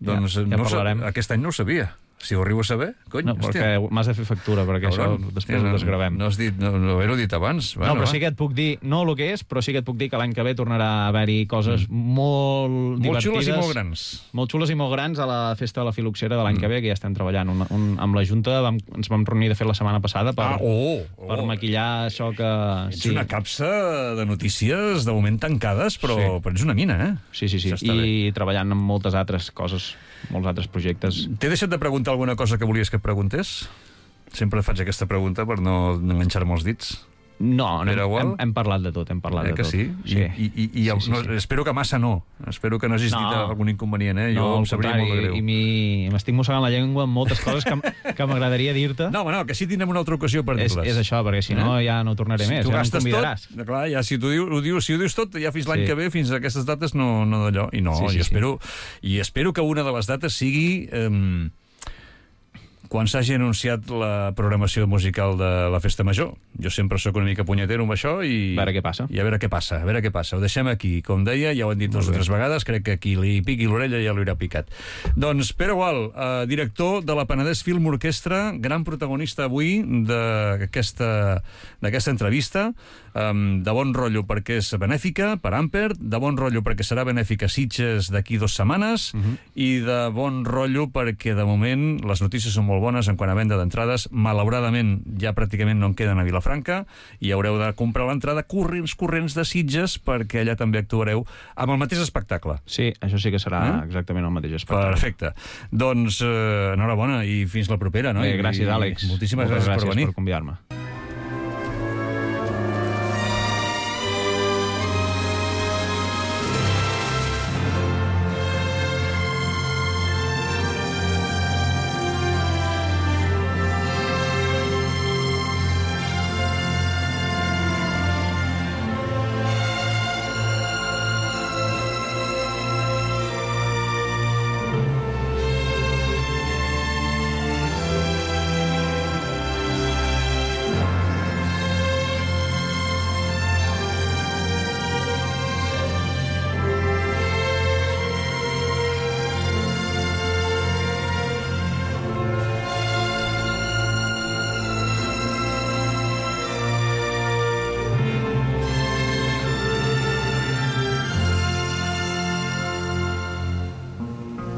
Speaker 1: doncs
Speaker 2: ja, ja
Speaker 1: no parlarem. Aquest any no ho sabia. Si ho arribo a saber, cony,
Speaker 2: no, perquè m'has de fer factura, perquè Hauran, això després
Speaker 1: no,
Speaker 2: ho desgravem.
Speaker 1: No has dit, no, no haver-ho dit abans.
Speaker 2: Bueno, no, però va. sí que et puc dir, no el que és, però sí que et puc dir que l'any que ve tornarà a haver-hi coses mm. molt,
Speaker 1: molt
Speaker 2: divertides.
Speaker 1: Molt xules i molt grans.
Speaker 2: Molt xules i molt grans a la Festa de la Filoxera de l'any mm. que ve, que ja estem treballant. Un, un, amb la Junta vam, ens vam reunir, de fet, la setmana passada per,
Speaker 1: ah, oh, oh.
Speaker 2: per maquillar això que...
Speaker 1: Ets sí. una capsa de notícies de moment tancades, però, sí. però ets una mina, eh?
Speaker 2: Sí, sí, sí. I bé. treballant amb moltes altres coses, molts altres projectes.
Speaker 1: T'he deixat de preguntar alguna cosa que volies que et preguntés? Sempre faig aquesta pregunta per no enganxar-me els dits.
Speaker 2: No, no hem, hem parlat de tot, hem parlat
Speaker 1: eh
Speaker 2: de tot.
Speaker 1: Sí?
Speaker 2: Sí.
Speaker 1: I, i, i el,
Speaker 2: sí, sí,
Speaker 1: no,
Speaker 2: sí.
Speaker 1: Espero que massa no. Espero que no hagis no. dit algun inconvenient, eh? Jo
Speaker 2: no,
Speaker 1: em sabria molt de greu.
Speaker 2: I m'estic mossegant la llengua amb moltes coses que, que m'agradaria dir-te.
Speaker 1: No, home, no, que sí tindrem una altra ocasió per dir-les.
Speaker 2: És, és això, perquè si no eh? ja no tornaré
Speaker 1: si
Speaker 2: més, ja no em convidaràs.
Speaker 1: Tot, clar, ja, si, tu diu, ho dius, si ho dius tot, ja fins l'any sí. que ve, fins a aquestes dates, no, no d'allò. I no, sí, sí, jo espero, sí. i espero que una de les dates sigui... Eh, quan s'hagi anunciat la programació musical de la Festa Major. Jo sempre sóc una mica punyetero amb això i...
Speaker 2: A veure què passa.
Speaker 1: I a veure què passa, a veure què passa. Ho deixem aquí. Com deia, ja ho hem dit dues o tres vegades, crec que qui li piqui l'orella ja l'haurà picat. Doncs Pere Gual, eh, director de la Penedès Film Orquestra, gran protagonista avui d'aquesta entrevista, eh, de bon rotllo perquè és benèfica, per Amper, de bon rotllo perquè serà benèfica a Sitges d'aquí dues setmanes, uh -huh. i de bon rotllo perquè, de moment, les notícies són molt bones en quant a venda d'entrades. Malauradament ja pràcticament no en queden a Vilafranca i haureu de comprar l'entrada corrents, corrents de Sitges perquè allà també actuareu amb el mateix espectacle.
Speaker 2: Sí, això sí que serà eh? exactament el mateix espectacle.
Speaker 1: Perfecte. Doncs eh, enhorabona i fins la propera, no?
Speaker 2: Bé, gràcies, Àlex.
Speaker 1: Moltíssimes
Speaker 2: Moltes
Speaker 1: gràcies,
Speaker 2: gràcies
Speaker 1: per venir.
Speaker 2: per convidar-me.